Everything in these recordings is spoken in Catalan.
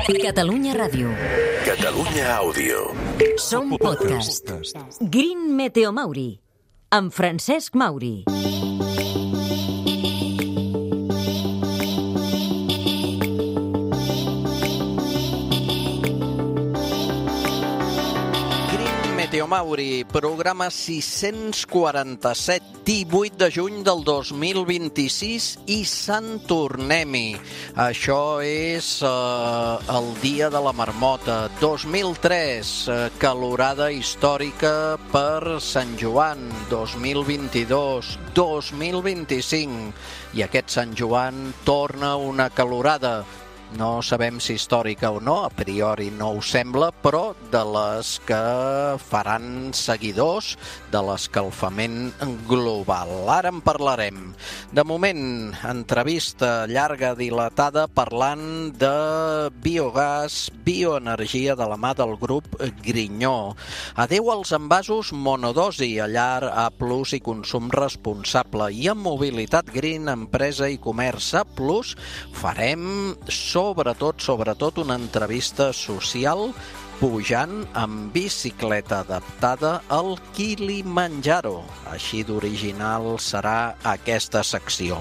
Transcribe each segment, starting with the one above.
Catalunya Ràdio. Catalunya Àudio. Som podcast. Green Meteo Mauri, amb Francesc Mauri. Meteo Mauri, programa 647, 18 de juny del 2026 i Sant Tornem-hi. Això és el dia de la marmota. 2003, calorada històrica per Sant Joan. 2022, 2025. I aquest Sant Joan torna una calorada. No sabem si històrica o no, a priori no ho sembla, però de les que faran seguidors de l'escalfament global. Ara en parlarem. De moment, entrevista llarga, dilatada, parlant de biogàs, bioenergia de la mà del grup Grinyó. Adéu als envasos monodosi, a llar, A+, i consum responsable. I en mobilitat green, empresa i comerç A+, farem sobretot una entrevista social pujant amb bicicleta adaptada al Kilimanjaro. Així d'original serà aquesta secció.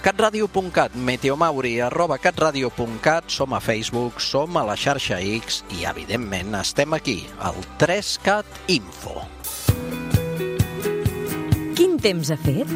catradio.cat, meteomauri, @catradio.cat, som a Facebook, som a la xarxa X i, evidentment, estem aquí, al 3CAT Info. Quin temps ha fet?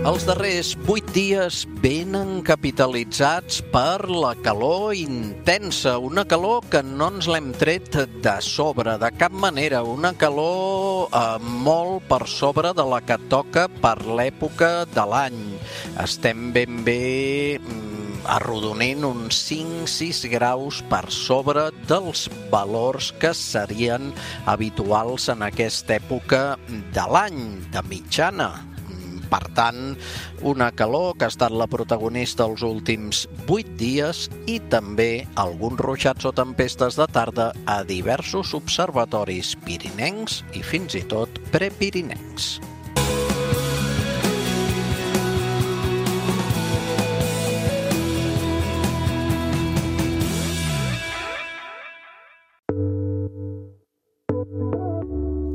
Els darrers 8 dies venen capitalitzats per la calor intensa, una calor que no ens l'hem tret de sobre, de cap manera, una calor molt per sobre de la que toca per l'època de l'any. Estem ben bé arrodonint uns 5-6 graus per sobre dels valors que serien habituals en aquesta època de l'any, de mitjana. Per tant, una calor que ha estat la protagonista els últims 8 dies i també alguns ruixats o tempestes de tarda a diversos observatoris pirinencs i fins i tot prepirinencs.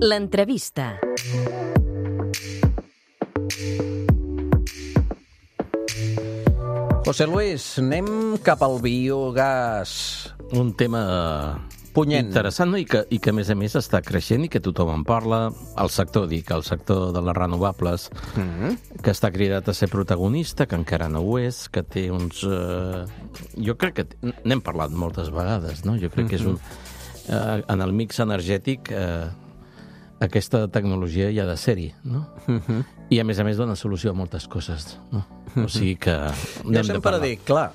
L'entrevista. José Luis, anem cap al biogàs. Un tema punyent, interessant, no? I que a més està creixent i que tothom en parla. El sector de les renovables, que està cridat a ser protagonista, que encara no ho és, que té uns... Jo crec que n'hem parlat moltes vegades, no? Jo crec que és un... En el mix energètic... aquesta tecnologia ja ha de ser-hi, no? I a més dona solució a moltes coses, no? O sigui que jo sempre dic, clar,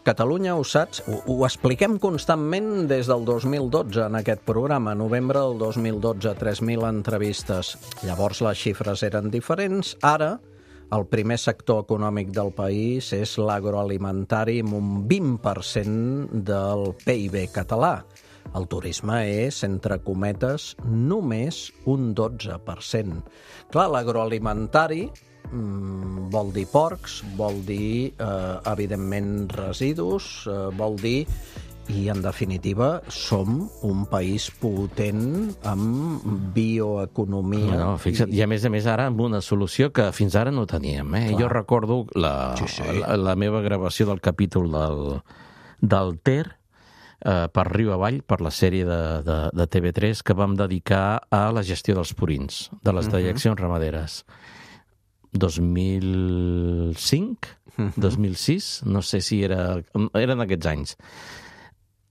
Catalunya, ho saps, ho expliquem constantment des del 2012 en aquest programa, novembre del 2012, 3.000 entrevistes. Llavors les xifres eren diferents. Ara, el primer sector econòmic del país és l'agroalimentari amb un 20% del PIB català. El turisme és, entre cometes, només un 12%. Clar, l'agroalimentari vol dir porcs, vol dir, evidentment, residus, vol dir... I, en definitiva, som un país potent amb bioeconomia. No, fixa't, i a més ara amb una solució que fins ara no teníem. Jo recordo la meva gravació del capítol del Ter, per riu avall, per la sèrie de TV3 que vam dedicar a la gestió dels purins, de les dejeccions ramaderes. 2005, 2006, no sé si eren aquests anys.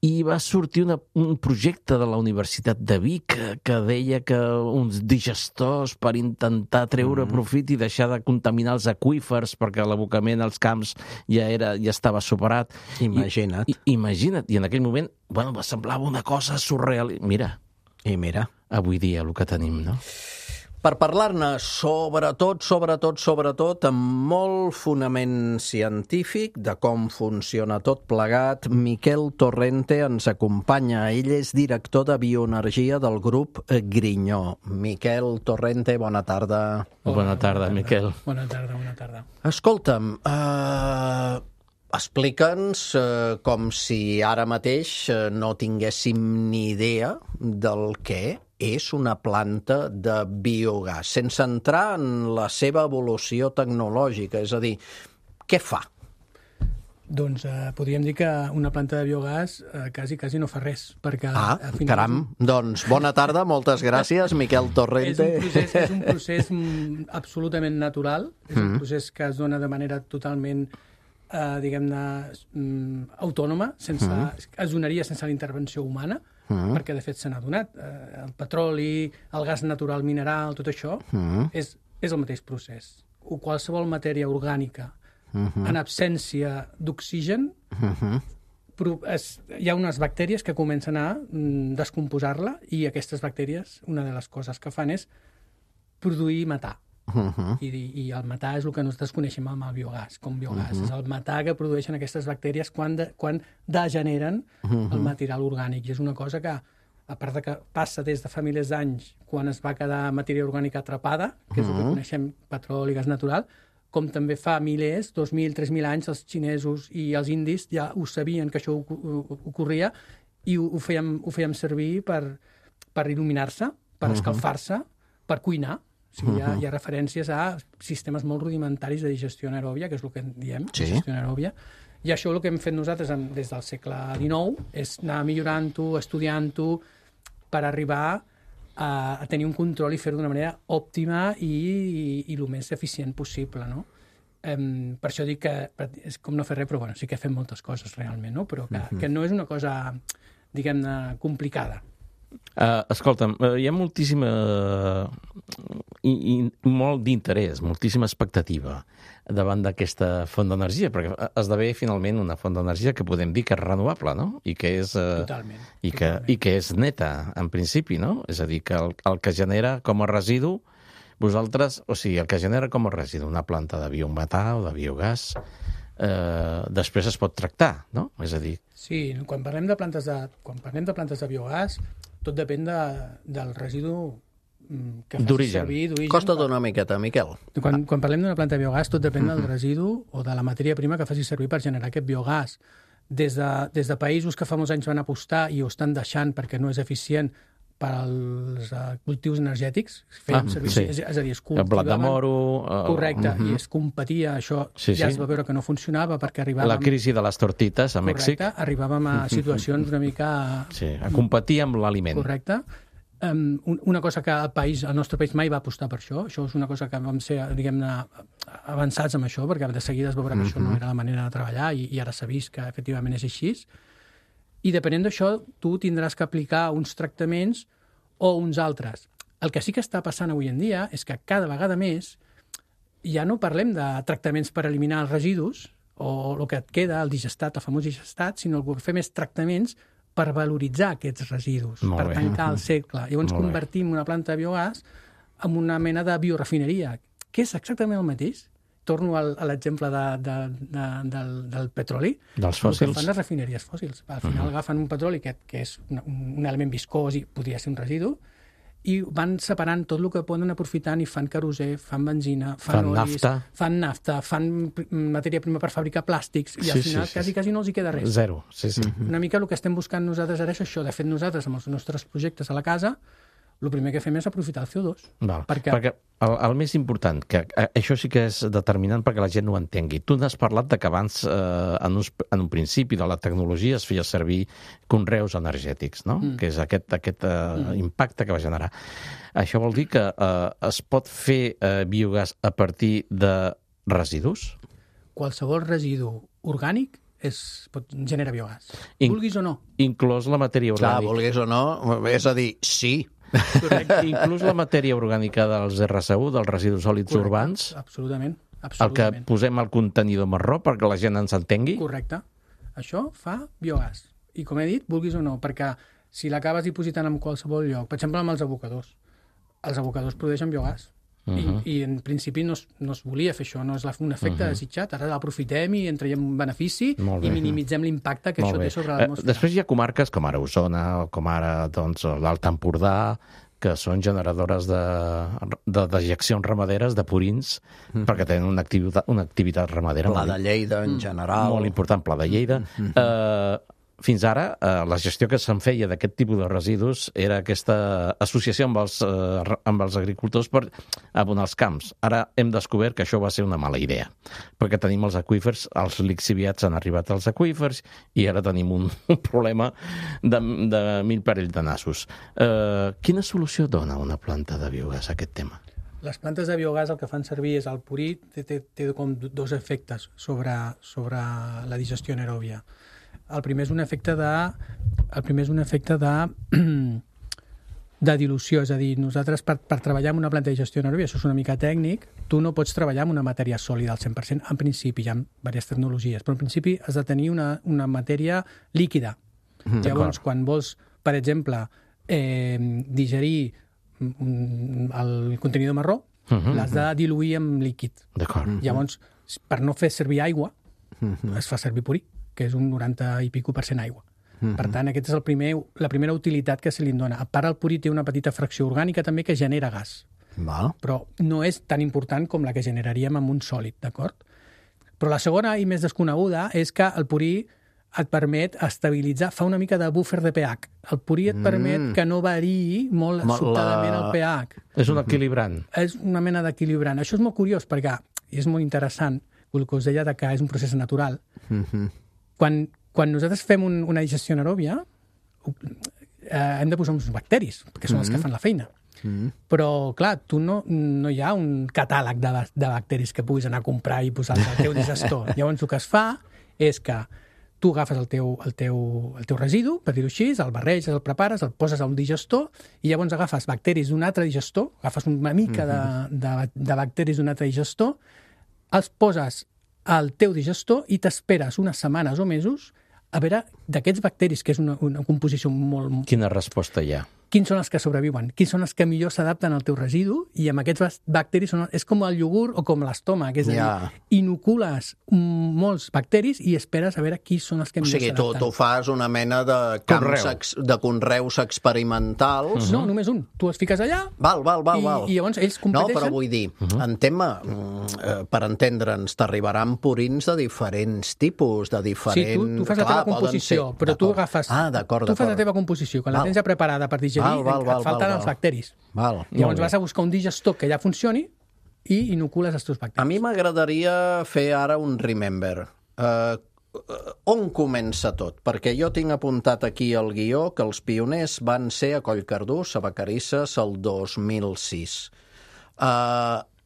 I va sortir un projecte de la Universitat de Vic que deia que uns digestors per intentar treure profit i deixar de contaminar els aqüífers perquè l'abocament als camps ja estava superat. Imagina't. Imagina't. I en aquell moment, semblava una cosa surreal. Mira. I mira. Avui dia el que tenim, no? Per parlar-ne sobretot, amb molt fonament científic de com funciona tot plegat, Miquel Torrente ens acompanya. Ell és director de bioenergia del grup Grinyó. Miquel Torrente, bona tarda. Bona tarda, Miquel. Bona tarda. Escolta'm, explica'ns com si ara mateix no tinguéssim ni idea del què és una planta de biogàs, sense entrar en la seva evolució tecnològica, és a dir, què fa? Doncs podríem dir que una planta de biogàs quasi no fa res, perquè... caram, doncs bona tarda, moltes gràcies, Miquel Torrente. És un procés absolutament natural, és un procés que es dona de manera totalment, diguem-ne, autònoma, es donaria sense la intervenció humana, perquè de fet se n'ha donat. El petroli, el gas natural mineral, tot això és el mateix procés. Qualsevol matèria orgànica en absència d'oxigen, hi ha unes bactèries que comencen a descomposar-la i aquestes bactèries, una de les coses que fan és produir metà. I el metà és el que nosaltres coneixem amb el biogàs, com biogàs. És el metà que produeixen aquestes bactèries quan degeneren el material orgànic. I és una cosa que, a part de que passa des de fa milers d'anys, quan es va quedar matèria orgànica atrapada, que és el que coneixem, petroli, gas natural, com també fa milers, 2.000, 3.000 anys, els xinesos i els indis ja ho sabien que això ocorria i ho fèiem servir per il·luminar-se, per escalfar-se, per cuinar. O sigui, hi ha referències a sistemes molt rudimentaris de digestió anaeròbia, que és el que en diem, digestió anaeròbia, i això el que hem fet nosaltres des del segle XIX és anar millorant-ho, estudiant-ho, per arribar a tenir un control i fer-ho d'una manera òptima i el més eficient possible, no? Per això dic que és com no fer res, però bueno, sí que fem moltes coses realment, no? Però que no és una cosa, diguem-ne, complicada. Escolta'm, hi ha moltíssima i molt d'interès, moltíssima expectativa davant d'aquesta font d'energia, perquè esdevé finalment una font d'energia que podem dir que és renovable, no? I que és, totalment. I que és neta, en principi, no? És a dir, que el que genera com a residu, vosaltres, o sigui, el que genera com a residu una planta de biometà o de biogàs, després es pot tractar, no? És a dir... Sí, quan parlem de plantes de biogàs, tot depèn del residu que faci servir d'origen. Costa-t'ho una miqueta, Miquel. Quan parlem d'una planta de biogàs, tot depèn del residu o de la matèria prima que faci servir per generar aquest biogàs. Des de països que fa molts anys van apostar i ho estan deixant perquè no és eficient per als cultius energètics, feien servir, és a dir, es cultivaven... El blat de moro... Correcte, i es competia, això ja es va veure que no funcionava perquè arribàvem... La crisi de les tortites a Mèxic. Correcte, arribàvem a situacions una mica... Sí, a competir amb l'aliment. Correcte. Una cosa que el nostre país mai va apostar per això és una cosa que vam ser, diguem-ne, avançats amb això, perquè de seguida es veurà que això no era la manera de treballar i ara s'ha vist que efectivament és així. I depenent d'això, tu tindràs que aplicar uns tractaments o uns altres. El que sí que està passant avui en dia és que cada vegada més ja no parlem de tractaments per eliminar els residus o el que et queda, el digestat, el famós digestat, sinó el que fem és tractaments per valoritzar aquests residus, per tancar el cercle. Llavors convertim una planta de biogàs en una mena de biorefineria, que és exactament el mateix. Torno a l'exemple del petroli. Dels fòssils. El que fan les refineries fòssils. Al final agafen un petroli que és un element viscós i podria ser un residu, i van separant tot el que poden aprofitant i fan querosè, fan benzina, fan olis, fan nafta, fan matèria prima per fabricar plàstics, i al final quasi no els hi queda res. Zero, sí. Una mica el que estem buscant nosaltres ara és això. De fet, nosaltres, amb els nostres projectes a la casa, el primer que fem és aprofitar el CO2. Perquè el més important, que això sí que és determinant perquè la gent ho entengui. Tu n'has parlat de que abans, en un principi de la tecnologia, es feia servir conreus energètics, no? Que és aquest impacte que va generar. Això vol dir que es pot fer biogàs a partir de residus? Qualsevol residu orgànic genera biogàs. Vulguis o no. Inclòs la matèria orgànica. Clar, vulguis o no, és a dir, sí. Correcte. Inclús la matèria orgànica dels RSU, dels residus sòlids urbans. Absolutament. El que posem al contenidor marró perquè la gent ens entengui. Correcte. Això fa biogàs. I com he dit, vulguis o no, perquè si l'acabes dipositant en qualsevol lloc, per exemple amb els abocadors, els abocadors produeixen biogàs. I en principi no es volia fer això, no és un efecte desitjat. Ara l'aprofitem i en traiem un benefici i minimitzem l'impacte que això té sobre l'atmosfera. Després hi ha comarques com ara Osona, com ara l'Alt Empordà, que són generadores de dejeccions ramaderes, de purins, perquè tenen una activitat ramadera. Pla de Lleida, en general. Molt important, Pla de Lleida. Fins ara, la gestió que se'n feia d'aquest tipus de residus era aquesta associació amb els agricultors per abonar els camps. Ara hem descobert que això va ser una mala idea, perquè tenim els aqüífers, els lixiviats han arribat als aqüífers i ara tenim un problema de 1000 parells de nassos. Quina solució dona una planta de biogàs a aquest tema? Les plantes de biogàs el que fan servir és el purí, té com dos efectes sobre la digestió anaeròbia. El primer és un efecte de dilució, és a dir, nosaltres per treballar amb una planta de digestió anaeròbia, això és una mica tècnic, tu no pots treballar amb una matèria sòlida al 100%, en principi, hi ha diverses tecnologies, però en principi has de tenir una matèria líquida. Llavors, quan vols, per exemple, digerir el contenidor marró, l'has de diluir amb líquid. Llavors, per no fer servir aigua, es fa servir purí, que és un 90 i pico % aigua. Per tant, aquesta és la primera utilitat que se li dona. A part, el purí té una petita fracció orgànica també que genera gas. Però no és tan important com la que generaríem amb un sòlid, d'acord? Però la segona i més desconeguda és que el purí et permet estabilitzar, fa una mica de búfer de pH. El purí et permet que no variï molt sobtadament el pH. És un equilibrant. És una mena d'equilibrant. Això és molt curiós perquè, i és molt interessant, el que us deia que és un procés natural. Quan nosaltres fem una digestió anaeròbia, hem de posar uns bacteris, que són els que fan la feina. Però, clar, no hi ha un catàleg de bacteris que puguis anar a comprar i posar al teu digestor. Llavors, el que es fa és que tu agafes el teu residu, per dir-ho així, el barreges, el prepares, el poses a un digestor i llavors agafes bacteris d'un altre digestor, agafes una mica de bacteris d'un altre digestor, els poses al teu digestor i t'esperes unes setmanes o mesos a veure d'aquests bacteris, que és una composició molt... Quina resposta hi ha? Quins són els que sobreviuen? Quins són els que millor s'adapten al teu residu? I amb aquests bacteris és com el iogurt o com l'estómac, és a dir, inocules molts bacteris i esperes a veure quins són els que millor s'adapten. O sigui, tu fas una mena de camps de conreus experimentals. No, només un. Tu es fiques allà i llavors ells competeixen. No, però vull dir, en tema, per entendre'ns, t'arribaran purins de diferents tipus, de diferents... Sí, tu fas la teva composició, però tu agafes... Tu fas la teva composició, quan la tens ja preparada per digerir, et falten els bacteris. Llavors vas a buscar un digestor que ja funcioni i inocules els teus bacteris. A mi m'agradaria fer ara un remember. On comença tot? Perquè jo tinc apuntat aquí al guió que els pioners van ser a Collcardús, a Vacarisses, el 2006.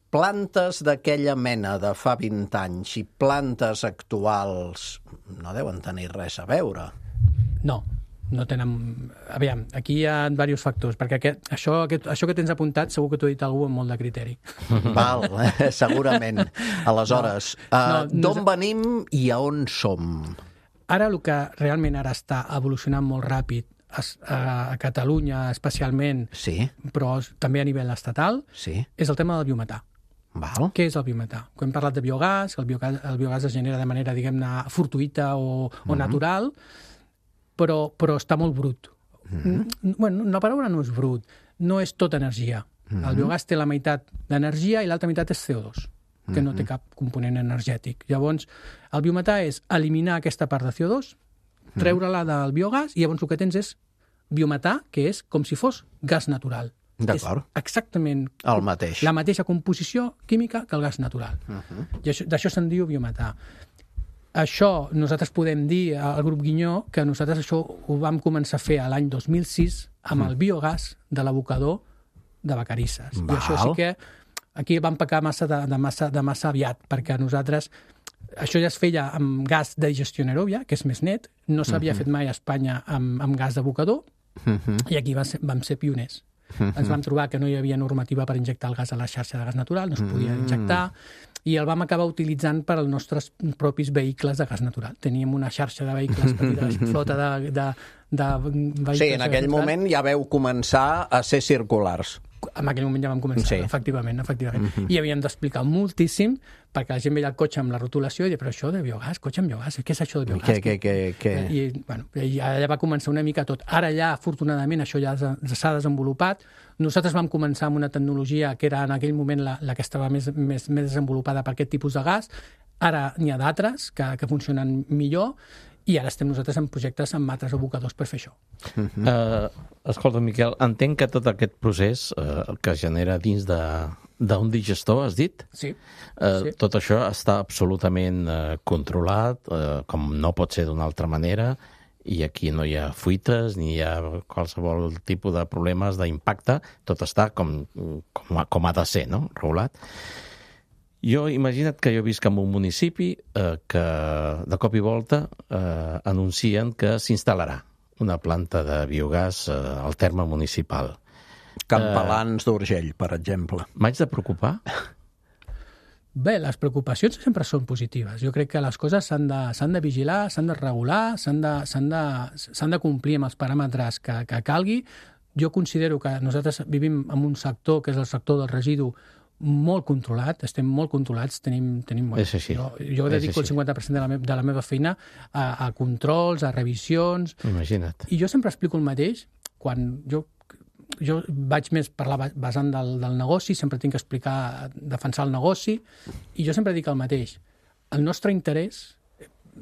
Plantes d'aquella mena de fa 20 anys i plantes actuals no deuen tenir res a veure. No tenen... Aviam, aquí hi ha diversos factors, perquè això que tens apuntat segur que t'ho ha dit algú amb molt de criteri. Segurament. Aleshores, d'on venim i a on som? Ara el que realment ara està evolucionant molt ràpid a Catalunya especialment, però també a nivell estatal, és el tema del biometà. Què és el biometà? Quan hem parlat de biogàs, el biogàs es genera de manera, diguem-ne, fortuïta o natural, però està molt brut. Bueno, la paraula no és brut, no és tota energia. El biogàs té la meitat d'energia i l'altra meitat és CO2, que no té cap component energètic. Llavors, el biometà és eliminar aquesta part de CO2, treure-la del biogàs, i llavors el que tens és biometà, que és com si fos gas natural. D'acord. És exactament el mateix. La mateixa composició química que el gas natural. I d'això se'n diu biometà. Això, nosaltres podem dir al grup Guinyó que nosaltres això ho vam començar a fer l'any 2006 amb el biogàs de l'abocador de Vacarisses. I això sí que aquí vam pecar de massa aviat, perquè nosaltres això ja es feia amb gas de digestió anaeròbia, que és més net, no s'havia fet mai a Espanya amb gas d'abocador, i aquí vam ser pioners. Ens vam trobar que no hi havia normativa per injectar el gas a la xarxa de gas natural, no es podia injectar, i el vam acabar utilitzant per als nostres propis vehicles de gas natural. Teníem una xarxa de vehicles petita, flota Sí, en aquell moment ja veu començar a ser circulars. En aquell moment ja vam començar, efectivament. I havíem d'explicar moltíssim, perquè la gent veia el cotxe amb la rotulació i deia, però això de biogàs, cotxe amb biogàs, què és això de biogàs? Què? I allà va començar una mica tot. Ara ja, afortunadament, això ja s'ha desenvolupat. Nosaltres vam començar amb una tecnologia que era en aquell moment la que estava més desenvolupada per aquest tipus de gas. Ara n'hi ha d'altres que funcionen millor, i ara estem nosaltres en projectes amb altres abocadors per fer això. Escolta, Miquel, entenc que tot aquest procés que es genera dins d'un digestor, has dit? Sí. Tot això està absolutament controlat, com no pot ser d'una altra manera, i aquí no hi ha fuites, ni hi ha qualsevol tipus de problemes d'impacte, tot està com ha de ser, no? Regulat. Jo, imagina't que jo visc en un municipi que de cop i volta anuncien que s'instal·larà una planta de biogàs al terme municipal. Campalans d'Urgell, per exemple. M'haig de preocupar? Bé, les preocupacions sempre són positives. Jo crec que les coses s'han de vigilar, s'han de regular, s'han de complir amb els paràmetres que calgui. Jo considero que nosaltres vivim en un sector que és el sector del residu molt controlat, estem molt controlats, tenim és així. Jo dedico el 50% de la meva feina a controls, a revisions. Imagina't. I jo sempre explico el mateix, quan jo vaig més parlar basant del negoci, sempre tinc que explicar, defensar el negoci, i jo sempre dic el mateix. El nostre interès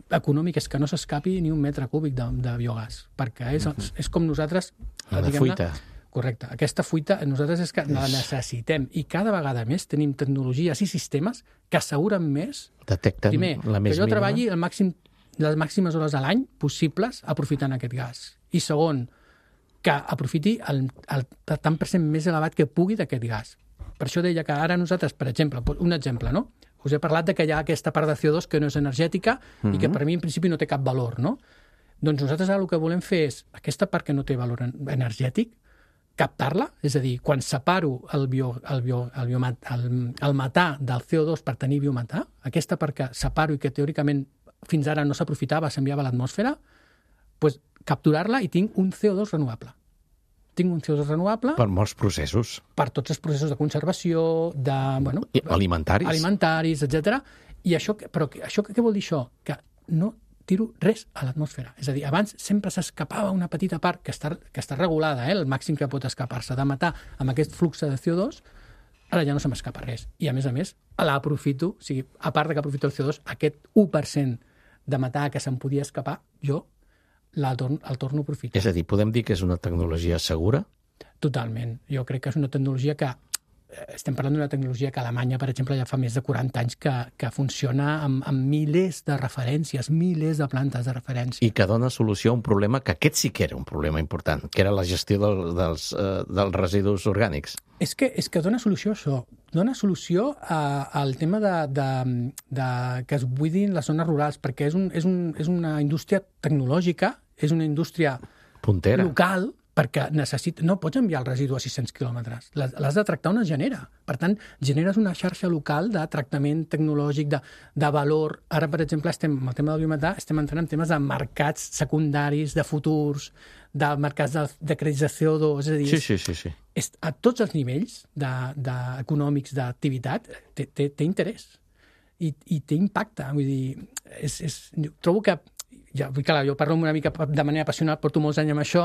econòmic és que no s'escapi ni un metre cúbic de biogàs, perquè és com nosaltres... La fuita. Correcte. Aquesta fuita nosaltres és que la necessitem, i cada vegada més tenim tecnologies i sistemes que asseguren més... Detecten primer, la més mínima. Que jo treballi les màximes hores a l'any possibles aprofitant aquest gas. I segon, que aprofiti el tant per cent més elevat que pugui d'aquest gas. Per això deia que ara nosaltres, per exemple, un exemple, no? Us he parlat de que hi ha aquesta part de CO2 que no és energètica i que per mi en principi no té cap valor, no? Doncs nosaltres ara el que volem fer és aquesta part que no té valor energètic, captar-la, és a dir, quan separo el metà del CO2 per tenir biometà, aquesta part que separo i que teòricament fins ara no s'aprofitava, s'enviava a l'atmosfera, doncs capturar-la i tinc un CO2 renovable. Tinc un CO2 renovable... Per molts processos. Per tots els processos de conservació, de... Bueno, alimentaris. Alimentaris, etc. I això, però això què vol dir això? Que no tiro res a l'atmosfera. És a dir, abans sempre s'escapava una petita part que està regulada, el màxim que pot escapar-se de matar amb aquest flux de CO2, ara ja no se m'escapa res. I a més, l'aprofito, o sigui, a part de que aprofito el CO2, aquest 1% de matar que se'n podia escapar, jo el torno a aprofitar. És a dir, podem dir que és una tecnologia segura? Totalment. Jo crec que és una tecnologia que... Estem parlant d'una tecnologia que a Alemanya, per exemple, ja fa més de 40 anys que funciona amb milers de referències, milers de plantes de referència. I que dona solució a un problema que aquest sí que era un problema important, que era la gestió dels residus orgànics. És que dona solució a això. Dona solució al tema de que es buidin les zones rurals, perquè és una indústria tecnològica, és una indústria puntera, local, perquè no pots enviar el residu a 600 quilòmetres. L'has de tractar on es genera. Per tant, generes una xarxa local de tractament tecnològic, de valor. Ara, per exemple, amb el tema del biometà, estem entrant en temes de mercats secundaris, de futurs, de mercats de crèdits de CO2, és a dir... Sí. A tots els nivells econòmics d'activitat té interès i té impacte. Vull dir, trobo que jo parlo una mica de manera apassionada, porto molts anys amb això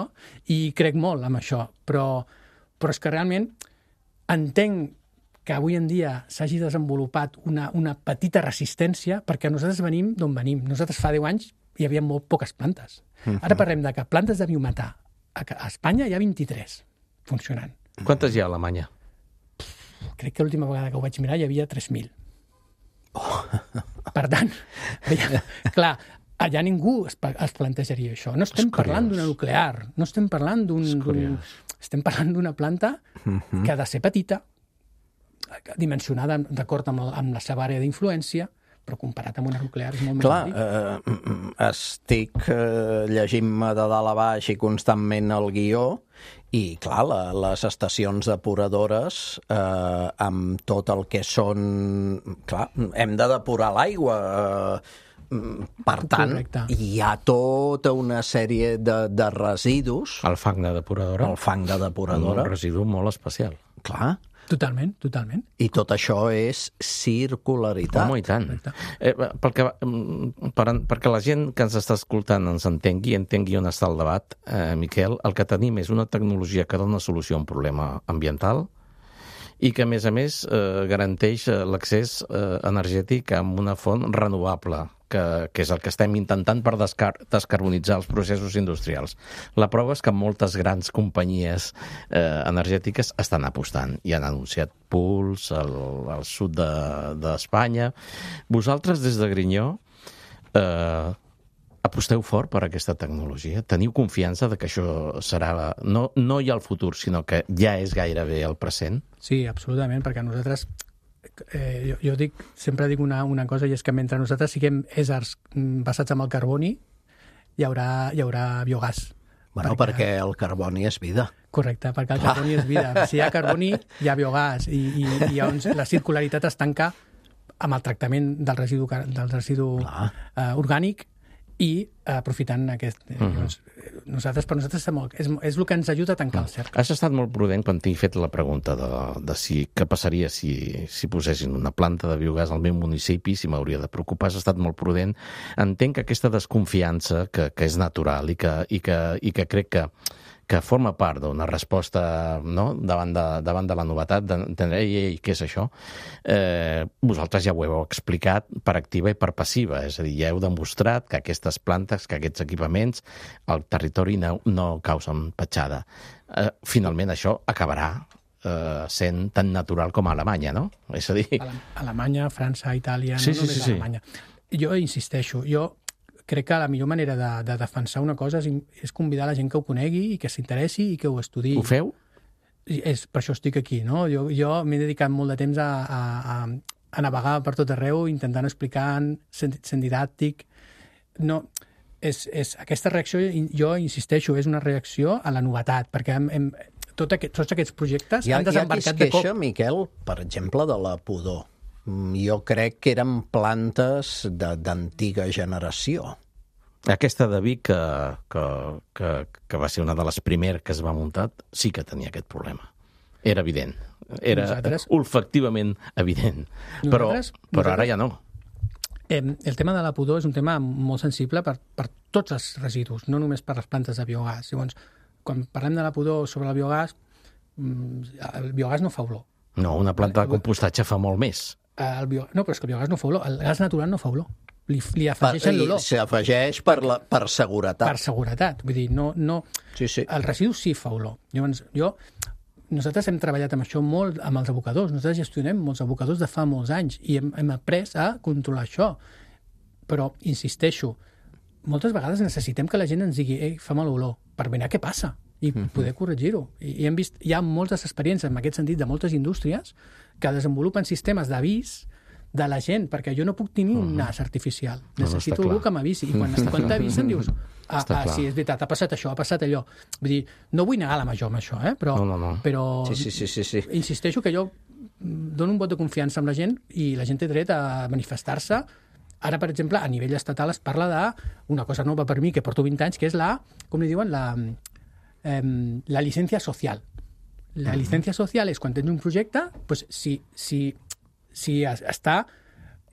i crec molt en això, però és que realment entenc que avui en dia s'hagi desenvolupat una petita resistència perquè nosaltres venim d'on venim. Nosaltres fa 10 anys hi havia molt poques plantes. Ara parlem de que plantes de biometà a Espanya hi ha 23 funcionant. Quantes hi ha a Alemanya? Crec que l'última vegada que ho vaig mirar hi havia 3.000. Per tant, clar, allà ningú es plantejaria això. No estem parlant d'una nuclear, no estem parlant estem parlant d'una planta que ha de ser petita, dimensionada d'acord amb la seva àrea d'influència, però comparat amb una nuclear és molt més petit. Estic llegint-me de dalt a baix i constantment el guió i, clar, les estacions depuradores amb tot el que són... Clar, hem de depurar l'aigua, Per tant, Correcte. hi ha tota una sèrie de residus. El fang de depuradora. El fang de depuradora. Un residu molt especial. Clar. Totalment, totalment. I tot això és circularitat. Home, i tant. Perquè la gent que ens està escoltant ens entengui on està el debat, Miquel, el que tenim és una tecnologia que dona solució a un problema ambiental i que, a més, garanteix l'accés energètic amb una font renovable, que és el que estem intentant per descarbonitzar els processos industrials. La prova és que moltes grans companyies energètiques estan apostant i han anunciat pools al sud d'Espanya. Vosaltres, des de Grinyó, aposteu fort per aquesta tecnologia? Teniu confiança de que això serà no ja el futur, sinó que ja és gairebé el present? Sí, absolutament, perquè nosaltres... jo sempre dic una cosa, i és que mentre nosaltres siguem éssers basats en el carboni, hi haurà biogàs. Bueno, perquè el carboni és vida. Correcte, perquè el carboni és vida. Si hi ha carboni, hi ha biogàs, i llavors la circularitat es tanca amb el tractament del residu orgànic i aprofitant aquest... Per nosaltres és el que ens ajuda a tancar el cercle. Has estat molt prudent quan t'he fet la pregunta de què passaria si posessin una planta de biogàs al meu municipi, si m'hauria de preocupar. Has estat molt prudent. Entenc que aquesta desconfiança, que és natural i que crec que forma part d'una resposta, no?, davant de la novetat, d'entendre, què és això? Vosaltres ja ho heu explicat per activa i per passiva, és a dir, ja heu demostrat que aquestes plantes, que aquests equipaments, al territori no causen petjada. Finalment, això acabarà sent tan natural com a Alemanya, no? És a dir... Alemanya, França, Itàlia, sí, no només sí. Alemanya. Jo insisteixo, crec que la millor manera de defensar una cosa és convidar la gent que ho conegui i que s'interessi i que ho estudiï. Ho feu? Per això estic aquí, no? Jo m'he dedicat molt de temps a navegar per tot arreu, intentant explicar, sent didàctic. No, aquesta reacció, jo insisteixo, és una reacció a la novetat, perquè tots aquests projectes han desembarcat de cop. Hi ha qui es queixa, Miquel, per exemple, de la pudor. Jo crec que eren plantes d'antiga generació. Aquesta de Vic, que va ser una de les primeres que es va muntar, sí que tenia aquest problema. Era evident. Era olfactivament evident. Però ara ja no. El tema de la pudor és un tema molt sensible per tots els residus, no només per les plantes de biogàs. Llavors, quan parlem de la pudor sobre el biogàs no fa olor. No, una planta de compostatge fa molt més. No, però és que el biogàs no fa olor. El gas natural no fa olor. Li afegeixen l'olor. S'afegeix per seguretat. Per seguretat. Vull dir, no... Sí. El residu sí fa olor. Llavors, nosaltres hem treballat amb això molt amb els abocadors. Nosaltres gestionem molts abocadors de fa molts anys i hem après a controlar això. Però, insisteixo, moltes vegades necessitem que la gent ens digui fa mal olor, per mirar què passa i poder corregir-ho. I hem vist, hi ha moltes experiències en aquest sentit de moltes indústries que desenvolupen sistemes d'avís de la gent, perquè jo no puc tenir un nas artificial. Necessito algú que m'avisi. I quan t'avisen dius, sí, és veritat, ha passat això, ha passat allò. Vull dir, no vull negar la major amb això, però... Però sí. Insisteixo que jo dono un vot de confiança amb la gent i la gent té dret a manifestar-se. Ara, per exemple, a nivell estatal es parla d'una cosa nova per mi, que porto 20 anys, que és com li diuen, la llicència social. La llicència social és quan tens un projecte, doncs, si està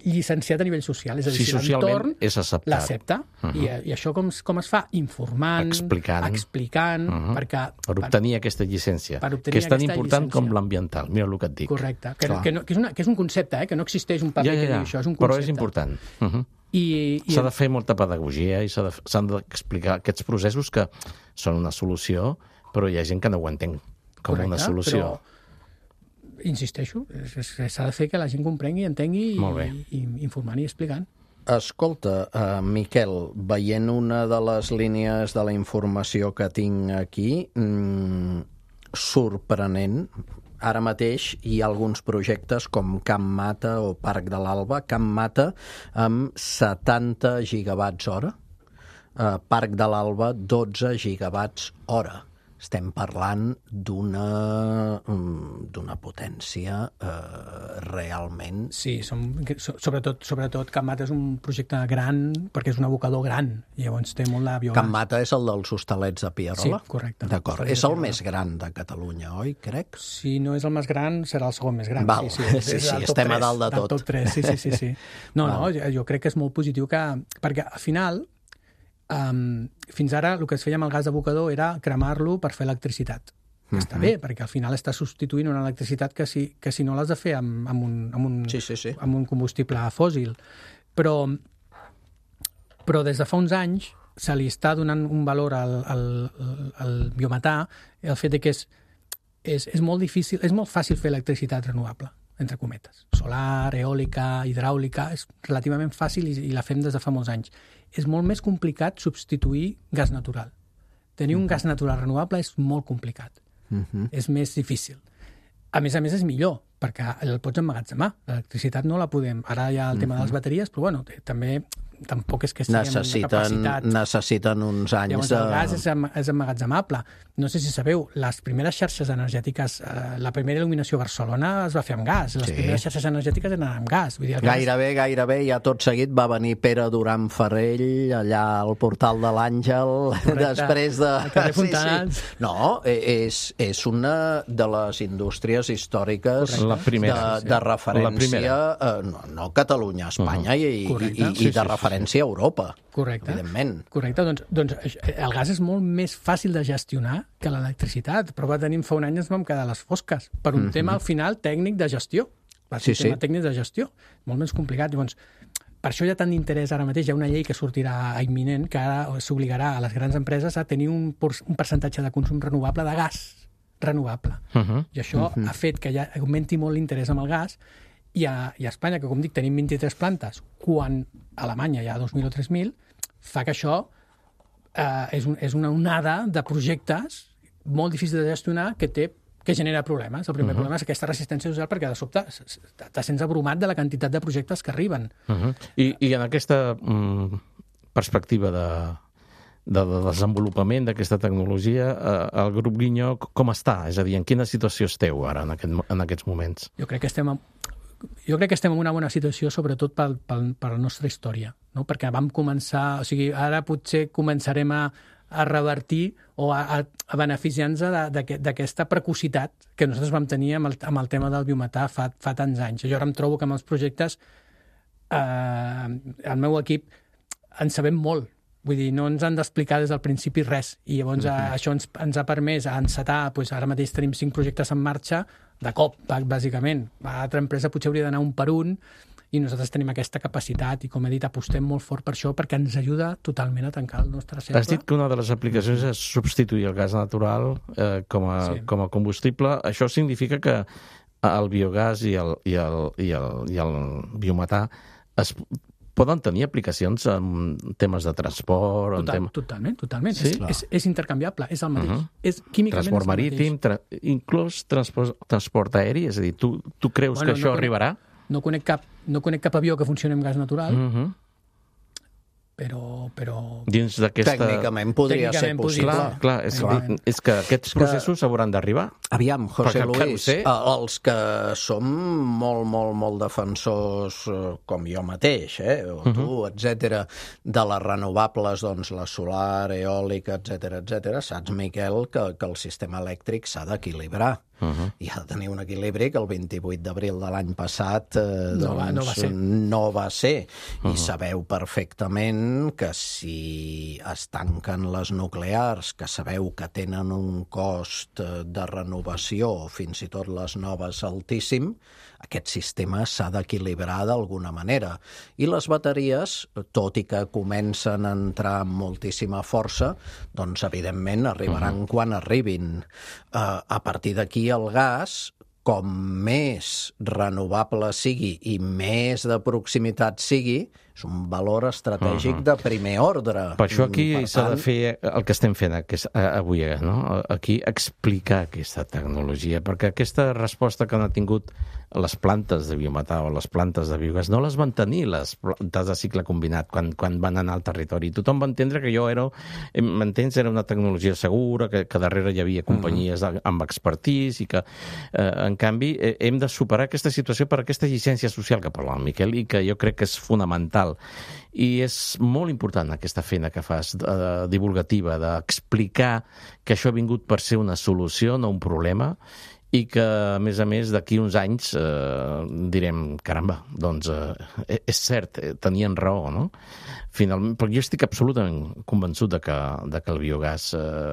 llicenciat a nivell social. És a dir, si socialment és acceptat. L'accepta. I això com es fa? Informant, explicant per obtenir aquesta llicència, que és tan important com l'ambiental. Mira el que et dic. Correcte. Que és un concepte, que no existeix un paper que digui això, és un concepte. Però és important. S'ha de fer molta pedagogia i s'han d'explicar aquests processos que són una solució, però hi ha gent que no ho entén com una solució. Però, insisteixo, s'ha de fer que la gent comprengui, entengui i informant i explicant. Escolta, Miquel, veient una de les línies de la informació que tinc aquí, sorprenent, ara mateix hi ha alguns projectes com Camp Mata o Parc de l'Alba. Camp Mata amb 70 gigawatts hora, Parc de l'Alba 12 gigawatts hora. estem parlant d'una potència realment... Sí, sobretot Can Mata és un projecte gran, perquè és un abocador gran, i llavors té molt de biogàs. Can Mata és el dels hostalets de Pierola? Sí, correcte. D'acord. És el més gran de Catalunya, oi, crec? Si no és el més gran, serà el segon més gran. Val. Sí, estem a dalt de tot. Del top 3, sí. No, jo crec que és molt positiu perquè al final, fins ara el que es feia amb el gas d'abocador era cremar-lo per fer electricitat. Està bé, perquè al final està substituint una electricitat que si no l'has de fer amb un combustible fòssil. Però des de fa uns anys se li està donant un valor al biometà, el fet que és molt difícil, és molt fàcil fer electricitat renovable, entre cometes. Solar, eòlica, hidràulica, és relativament fàcil i la fem des de fa molts anys. És molt més complicat substituir gas natural. Tenir un gas natural renovable és molt complicat. És més difícil. A més, és millor, perquè el pots emmagatzemar. L'electricitat no la podem... Ara hi ha el tema de les bateries, però bueno, també tampoc és que estiguem en una capacitat... Necessiten uns anys... Llavors el gas és emmagatzemable. No sé si sabeu, les primeres xarxes energètiques, la primera il·luminació a Barcelona es va fer amb gas. Les primeres xarxes energètiques eren amb gas. Vull dir, Gairebé, ja tot seguit va venir Pere Duran Farell allà al portal de l'Àngel, després de... Al carrer Fontanals. Sí. No, és una de les indústries històriques de referència, no Catalunya, Espanya i de referència a Europa. Correcte. Evidentment. Correcte, doncs el gas és molt més fàcil de gestionar que l'electricitat. Prova de tenir fa un any ens vam quedar a les fosques per un tema al final tècnic de gestió. Tema tècnic de gestió. Molt més complicat. Llavors, per això hi ha tant d'interès ara mateix. Hi ha una llei que sortirà imminent que ara s'obligarà a les grans empreses a tenir un percentatge de consum renovable de gas renovable. I això ha fet que ja augmenti molt l'interès amb el gas i a Espanya, que com dic, tenim 23 plantes, quan a Alemanya hi ha 2.000 o 3.000, fa que això és una onada de projectes molt difícil de gestionar que genera problemes. El primer problema és aquesta resistència social perquè de sobte te sents abrumat de la quantitat de projectes que arriben. I en aquesta perspectiva de desenvolupament d'aquesta tecnologia, el grup Guinyó com està? És a dir, en quina situació esteu ara en aquests moments? Jo crec que estem en una bona situació, sobretot per la nostra història, no? Perquè vam començar, o sigui, ara potser començarem a revertir o a beneficiar-nos d'aquesta precocitat que nosaltres vam tenir amb el tema del biometà fa tants anys. Jo ara em trobo que amb els projectes el meu equip en sabem molt. Vull dir, no ens han d'explicar des del principi res. I llavors això ens ha permès encetar, doncs ara mateix tenim 5 projectes en marxa, de cop, bàsicament. A l'altra empresa potser hauria d'anar un per un, i nosaltres tenim aquesta capacitat, i com he dit, apostem molt fort per això, perquè ens ajuda totalment a tancar el nostre cercle. Has dit que una de les aplicacions és substituir el gas natural com a combustible. Això significa que el biogàs i el biometà poden tenir aplicacions en temes de transport... Totalment. Sí? És intercanviable, és el mateix. És químicament transport marítim, inclús transport aeri, és a dir, tu creus que això arribarà? No conec cap avió que funcioni amb gas natural, però... Dins d'aquesta... Tècnicament podria ser possible. Clar, és que aquests processos hauran d'arribar. Aviam, José Luis, els que som molt defensors, com jo mateix, o tu, etc., de les renovables, doncs la solar, eòlica, etc., saps, Miquel, que el sistema elèctric s'ha d'equilibrar. I ha de tenir un equilibri que el 28 d'abril de l'any passat no va ser. I sabeu perfectament que si es tanquen les nuclears, que sabeu que tenen un cost de renovació, o fins i tot les noves altíssim, aquest sistema s'ha d'equilibrar d'alguna manera. I les bateries, tot i que comencen a entrar amb moltíssima força, doncs evidentment arribaran quan arribin. A partir d'aquí el gas, com més renovable sigui i més de proximitat sigui, és un valor estratègic de primer ordre. Per això aquí s'ha de fer el que estem fent avui, no? Aquí explicar aquesta tecnologia, perquè aquesta resposta que han tingut les plantes de biometà o les plantes de biogàs no les van tenir les plantes de cicle combinat quan van anar al territori. Tothom va entendre que era una tecnologia segura, que darrere hi havia companyies amb expertís i que, en canvi, hem de superar aquesta situació per aquesta llicència social que parla el Miquel i que jo crec que és fonamental. I és molt important aquesta feina que fas divulgativa, d'explicar que això ha vingut per ser una solució, no un problema, i que, a més, d'aquí uns anys direm, caramba, doncs és cert, tenien raó, no? Finalment, perquè jo estic absolutament convençut de que el biogàs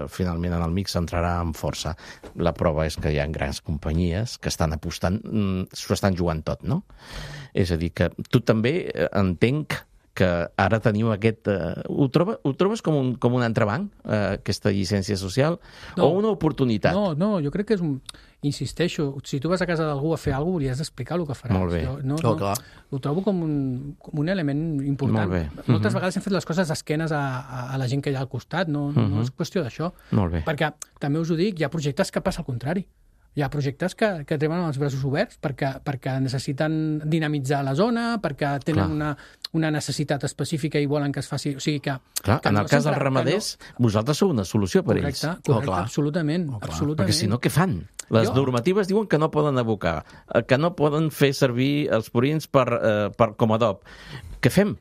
finalment en el mix entrarà amb força. La prova és que hi ha grans companyies que estan apostant, s'ho estan jugant tot, no? És a dir, que tu també entenc que ara tenim aquest... Ho trobes com un entrebanc, aquesta llicència social, o una oportunitat? No, jo crec que és un... Insisteixo, si tu vas a casa d'algú a fer alguna cosa, hauries d'explicar el que faràs. Molt bé. Clar. Ho trobo com un element important. Molt bé. Moltes vegades hem fet les coses d'esquenes a la gent que hi ha al costat, no és qüestió d'això. Molt bé. Perquè, també us ho dic, hi ha projectes que passa al contrari. Hi ha projectes que tenen els braços oberts perquè necessiten dinamitzar la zona, perquè tenen una necessitat específica i volen que es faci... O sigui que... Clar, en el cas dels ramaders, vosaltres sou una solució per ells. Correcte, absolutament. Perquè si no, què fan? Les normatives diuen que no poden abocar, que no poden fer servir els purins com a adob. Què fem?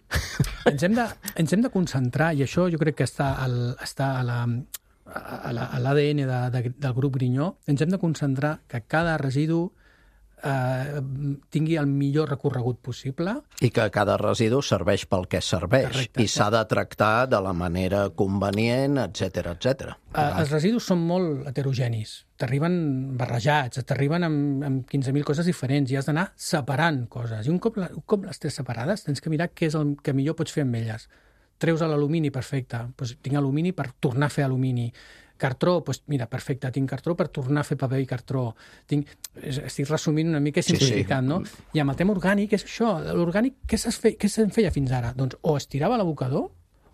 Ens hem de concentrar, i això jo crec que està a l'ADN del grup Grinyó, ens hem de concentrar que cada residu tingui el millor recorregut possible. I que cada residu serveix pel que serveix. Correcte. I s'ha de tractar de la manera convenient, etc etc. Els residus són molt heterogenis. T'arriben barrejats, t'arriben amb 15.000 coses diferents i has d'anar separant coses. I un cop les tens separades, tens que mirar què és el que millor pots fer amb elles. Treus l'alumini, perfecte. Doncs tinc alumini per tornar a fer alumini. Cartró, doncs mira, perfecte, tinc cartró per tornar a fer paper i cartró. Estic resumint una mica simplificant, no? I amb el tema orgànic és això. L'orgànic, què se'n feia fins ara? Doncs o es tirava a l'abocador,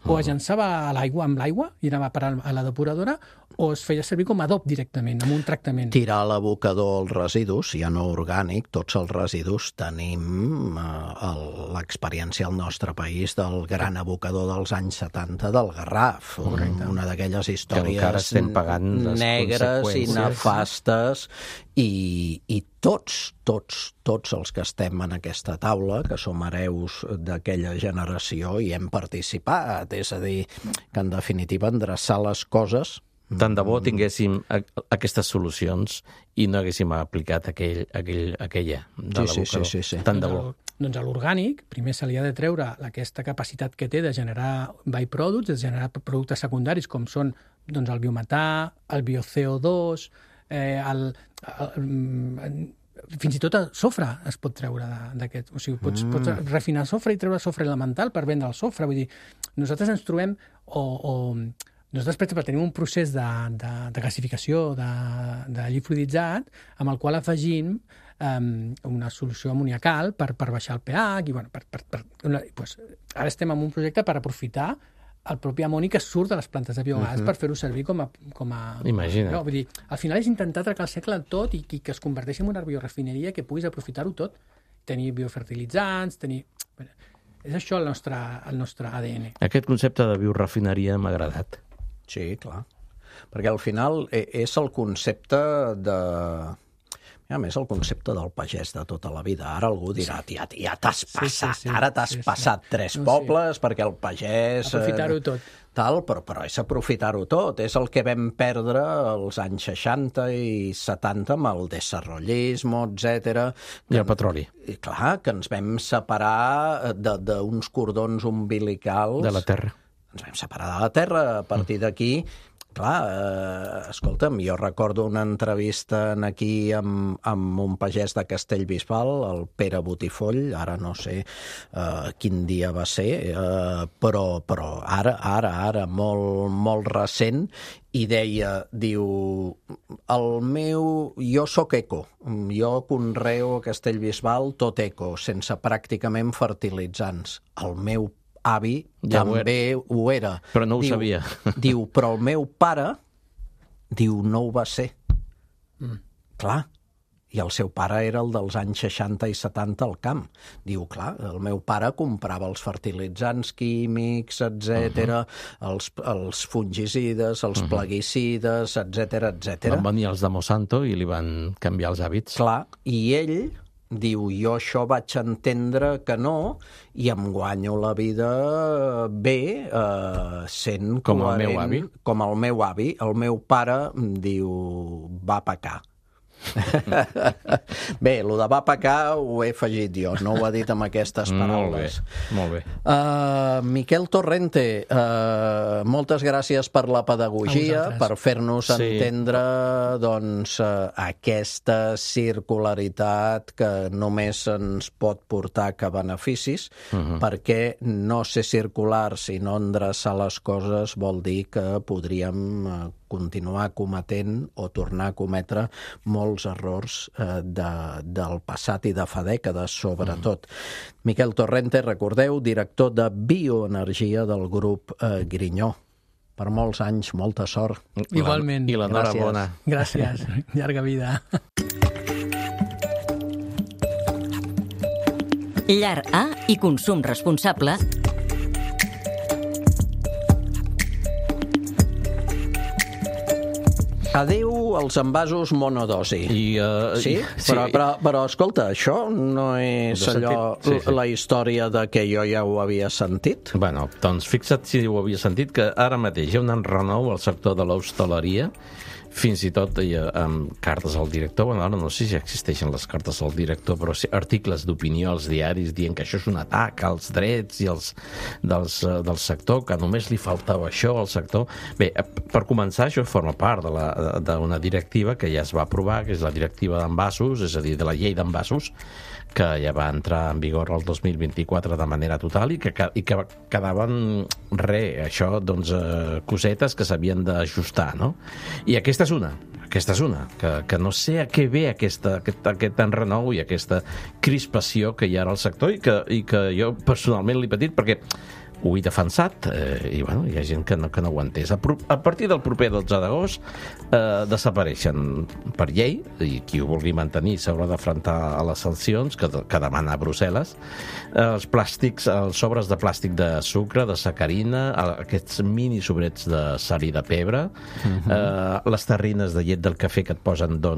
o es llançava amb l'aigua i anava a parar a la depuradora, o es feia servir com a adob directament, amb un tractament. Tirar a l'abocador els residus, ja no orgànic, tots els residus tenim l'experiència al nostre país del gran abocador dels anys 70 del Garraf. Una d'aquelles històries negres i nefastes i tots els que estem en aquesta taula, que som hereus d'aquella generació i hem participat, és a dir, que en definitiva endreçar les coses... Tant de bo tinguéssim aquestes solucions i no haguéssim aplicat aquella de l'abocador. Sí. Tant de bo. Doncs a l'orgànic, primer se li ha de treure aquesta capacitat que té de generar byproducts, de generar productes secundaris, com són el biometà, el bio-CO2, fins i tot el sofre es pot treure d'aquest. O sigui, pots refinar el sofre i treure sofre elemental per vendre el sofre. Vull dir, nosaltres ens trobem nosaltres, per exemple, tenim un procés de gasificació de lli fluiditzat amb el qual afegim una solució amoniacal per baixar el pH i, ara estem en un projecte per aprofitar el propi amoni que surt de les plantes de biogàs per fer-ho servir com a... Imagina't. No, vull dir, al final és intentar atracar el segle tot i que es converteixi en una biorefineria que puguis aprofitar-ho tot. Tenir biofertilitzants, És això el nostre ADN. Aquest concepte de biorefineria m'ha agradat. Sí, clar. Perquè al final és el concepte a més, el concepte del pagès de tota la vida. Ara algú dirà, ja t'has passat, ara t'has passat 3 pobles perquè el pagès... Aprofitar-ho tot. Però és aprofitar-ho tot. És el que vam perdre als anys 60 i 70 amb el desarrollisme, etc. I el petroli. I clar, que ens vam separar d'uns cordons umbilicals... De la terra. Ens vam separar de la terra. A partir d'aquí Clar, escolta'm, jo recordo una entrevista aquí amb un pagès de Castellbisbal, el Pere Botifoll, ara no sé quin dia va ser, però ara, molt recent, i diu, jo sóc eco, jo conreo a Castellbisbal tot eco, sense pràcticament fertilitzants. El meu avi també ho era. Però no ho sabia. Diu, però el meu pare, no ho va ser. Clar, i el seu pare era el dels anys 60 i 70 al camp. Diu, clar, el meu pare comprava els fertilitzants químics, etc., els fungicides, els plaguicides, etc. Van venir els de Monsanto i li van canviar els hàbits. Clar, i ell diu, jo això vaig entendre que no, i em guanyo la vida bé, sent com coherent, el meu avi. Com el meu avi. El meu pare diu, va pecar. Bé, el de va pecar ho he afegit jo, no ho he dit amb aquestes paraules. Molt bé. Miquel Torrente, moltes gràcies per la pedagogia, per fer-nos entendre aquesta circularitat que només ens pot portar que beneficis, perquè no ser circular, sinó endreçar les coses, vol dir que podríem continuar cometent o tornar a cometre molts errors del passat i de fa dècades, sobretot. Miquel Torrente, recordeu, director de Bioenergia del grup Grinyó. Per molts anys, molta sort. Igualment. I l'enhorabona. Gràcies. Llarga vida. Llar A i consum responsable. Adéu als envasos monodosi. Sí? Però escolta, això no és la història de que jo ja ho havia sentit? Bueno, doncs fixa't si ho havia sentit, que ara mateix hi ha un enrenou al sector de l'hostaleria, fins i tot amb cartes al director. Bueno, ara no sé si existeixen les cartes al director, però sí, articles d'opinió als diaris dient que això és un atac als drets i del sector, que només li faltava això al sector. Bé, per començar, això forma part d'una directiva que ja es va aprovar, que és la directiva d'envasos, és a dir, de la llei d'envasos, que ja va entrar en vigor el 2024 de manera total i que quedaven cosetes que s'havien d'ajustar, no? I aquesta és una, que no sé a què ve aquest enrenou i aquesta crispació que hi ha al sector i que jo personalment l'he patit perquè ho he defensat i bueno, hi ha gent que no ho ha entès. A partir del proper 12 d'agost desapareixen per llei, i qui ho vulgui mantenir s'haurà d'afrontar a les sancions que demana Brussel·les, els plàstics, els sobres de plàstic de sucre, de sacarina, aquests mini sobrets de sal i de pebre, les terrines de llet del cafè que et posen de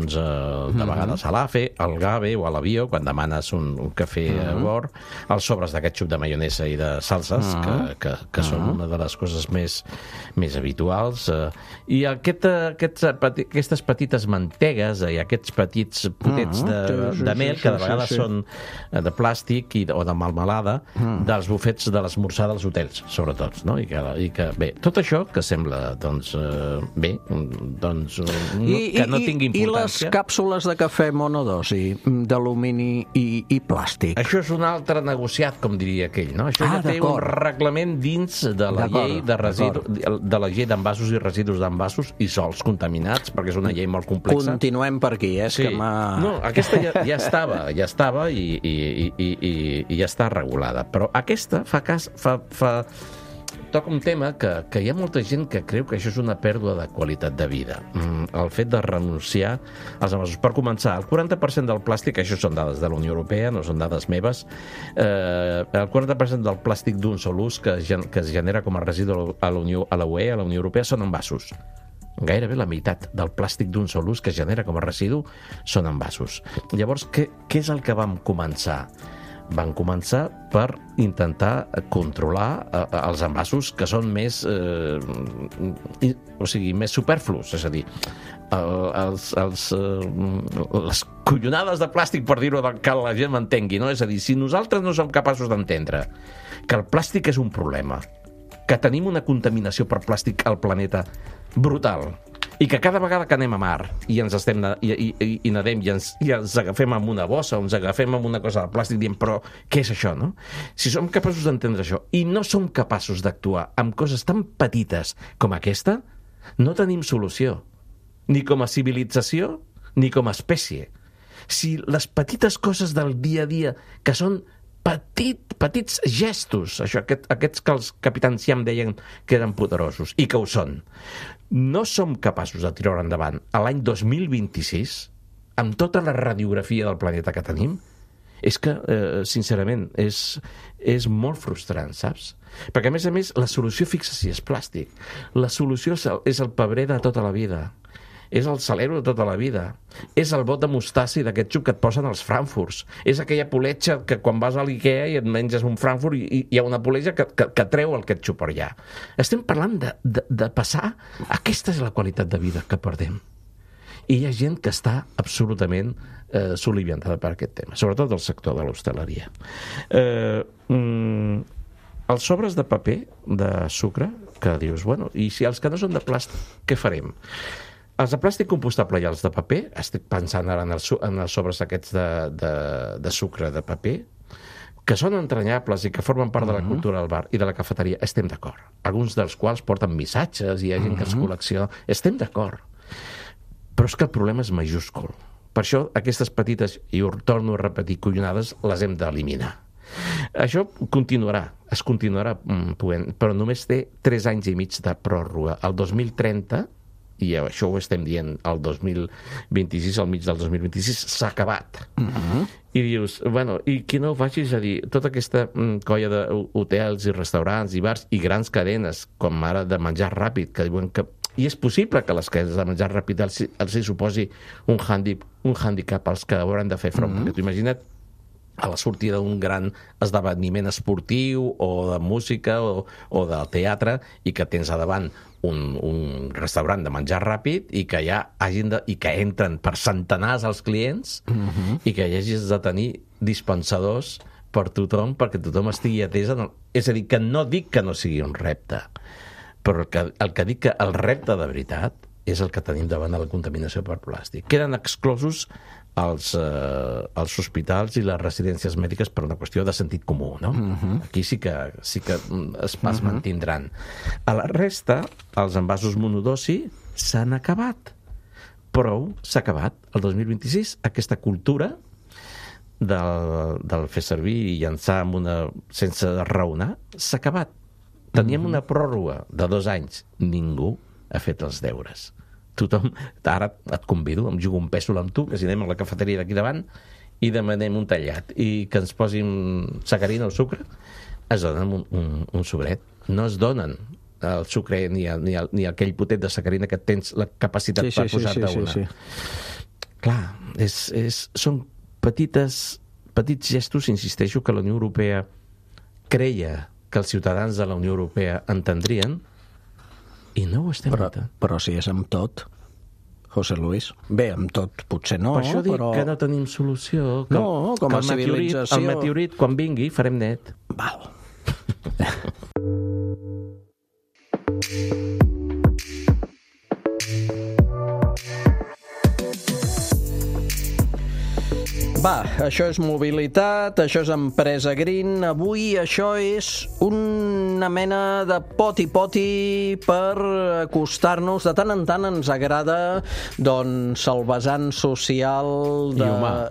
vegades a l'AFE, al GAVE o a l'Avió quan demanes un cafè a bord, els sobres de ketchup, de maionesa i de salses que són una de les coses més habituals, i aquestes petites mantegues i aquests petits potets de mel que de vegades són de plàstic o de melmelada dels bufets de l'esmorzar dels hotels, sobretot, no? I que bé, tot això que sembla que no tingui importància. I les càpsules de cafè monodosi d'alumini i plàstic? Això és un altre negociat, com diria aquell, no? Això ja té un reglament dins de la llei de la llei d'envasos i residus d'envasos i sols contaminats, perquè és una llei molt complexa. Continuem per aquí, sí. No, aquesta ja estava i ja està regulada, però aquesta toca un tema que hi ha molta gent que creu que això és una pèrdua de qualitat de vida. El fet de renunciar als envasos. Per començar, el 40% del plàstic, això són dades de la Unió Europea, no són dades meves, el 40% del plàstic d'un sol ús que es genera com a residu a la UE, a la Unió Europea, són envasos. Gairebé la meitat del plàstic d'un sol ús que es genera com a residu són envasos. Llavors, què és el que vam començar? Van començar per intentar controlar els envasos que són més superflus, és a dir, les collonades de plàstic, per dir-ho, que la gent m'entengui, no? És a dir, si nosaltres no som capaços d'entendre que el plàstic és un problema, que tenim una contaminació per plàstic al planeta brutal. I que cada vegada que anem a mar i ens estem i nedem i ens agafem amb una bossa o ens agafem amb una cosa de plàstic dient, però què és això, no? Si som capaços d'entendre això i no som capaços d'actuar amb coses tan petites com aquesta, no tenim solució, ni com a civilització ni com a espècie. Si les petites coses del dia a dia, que són petits gestos, aquests que els capitans ja em deien que eren poderosos, i que ho són, no som capaços de tirar endavant a l'any 2026, amb tota la radiografia del planeta que tenim, és que, sincerament, és molt frustrant, saps? Perquè, a més, la solució, fixa si és plàstic. La solució és el pebrer de tota la vida. És el salero de tota la vida. És el bot de mostassa i de ketchup que et posen als Frankfurts. És aquella poletxa que quan vas a l'Ikea i et menges un Frankfurt i hi ha una poletxa que treu el ketchup per allà. Estem parlant de passar... Aquesta és la qualitat de vida que perdem. I hi ha gent que està absolutament soliviantada per aquest tema, sobretot del sector de l'hostaleria. Els sobres de paper, de sucre, que dius, bueno, i si els que no són de plàstic, què farem? Els de plàstic compostable i els de paper, estic pensant ara en els sobres aquests de sucre de paper, que són entranyables i que formen part de la cultura del bar i de la cafeteria, estem d'acord. Alguns dels quals porten missatges i hi ha gent que els col·lecciona. Estem d'acord. Però és que el problema és majúscul. Per això aquestes petites, i ho torno a repetir, collonades, les hem d'eliminar. Això es continuarà podent, però només té 3 anys i mig de pròrroga. El 2030, i això ho estem dient el 2026, al mig del 2026, s'ha acabat. I dius, bueno, i qui no ho faci, és a dir, tota aquesta colla d'hotels i restaurants i bars i grans cadenes, com ara de menjar ràpid, que diuen que... I és possible que les cadenes de menjar ràpid els hi suposi un handicap als que hauran de fer front, perquè tu imagina't a la sortida d'un gran esdeveniment esportiu o de música o del teatre i que tens a davant un restaurant de menjar ràpid i que i que entren per centenars els clients i que hi hagis de tenir dispensadors per tothom perquè tothom estigui atès. És a dir, que no dic que no sigui un repte, però el que dic que el repte de veritat és el que tenim davant de la contaminació per plàstic. Queden exclosos els hospitals i les residències mèdiques per una qüestió de sentit comú, no? Aquí sí que es mantindran. A la resta, els envasos monodosi s'han acabat. Prou, s'ha acabat. El 2026, aquesta cultura del fer servir i llançar sense raonar s'ha acabat. Teníem una pròrroga de 2 anys. Ningú ha fet els deures. Tothom, ara et convido, em jugo un pèsol amb tu, que si anem a la cafeteria d'aquí davant i demanem un tallat i que ens posin sacarina o sucre, es donen un sobret. No es donen el sucre ni aquell potet de sacarina que tens la capacitat per posar-te una. Clar, són petits gestos, insisteixo, que la Unió Europea creia que els ciutadans de la Unió Europea entendrien i no ho estem notant. Però si és amb tot, José Luis. Bé, amb tot potser no, per això dic que no tenim solució. No, com a civilització. El meteorit, quan vingui, farem net. Val. Va, això és mobilitat, això és empresa green. Avui això és una mena de poti-poti per acostar-nos. De tant en tant ens agrada doncs, el vessant social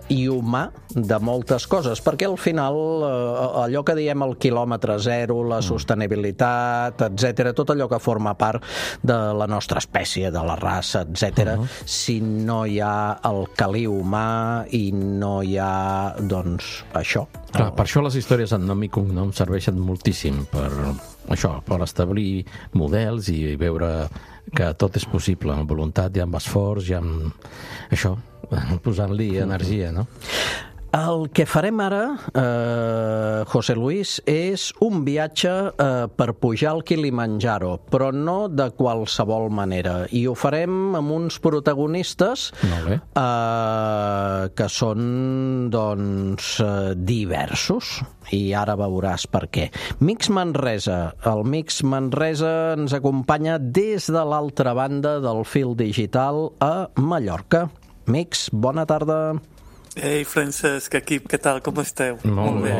i humà de moltes coses, perquè al final allò que diem el quilòmetre zero, la sostenibilitat, etc., tot allò que forma part de la nostra espècie, de la raça, etc., si no hi ha el caliu humà i no hi ha, doncs, això. Clar, per això les històries en nom i cognom serveixen moltíssim per això, per establir models i veure que tot és possible, amb voluntat i amb esforç i amb això, posant-li energia, no? El que farem ara, José Luis, és un viatge per pujar al Kilimanjaro, però no de qualsevol manera. I ho farem amb uns protagonistes que són, doncs, diversos. I ara veuràs per què. Mix Manresa. El Mix Manresa ens acompanya des de l'altra banda del fil digital a Mallorca. Mix, bona tarda. Ei, Francesc, equip, què tal? Com esteu? Molt bé.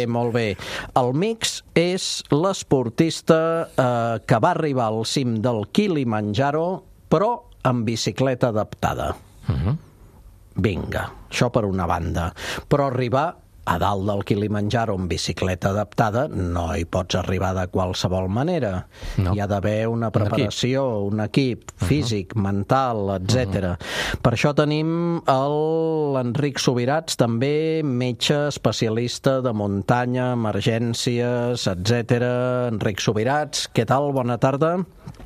Molt bé. El Mix és l'esportista que va arribar al cim del Kilimanjaro, però amb bicicleta adaptada. Vinga, això per una banda. Però arribar a dalt del Kilimanjaro amb bicicleta adaptada no hi pots arribar de qualsevol manera. No. Hi ha d'haver una preparació, un equip físic, mental, etc. Per això tenim l'Enric Subirats, també metge especialista de muntanya, emergències, etc. Enric Subirats, què tal? Bona tarda.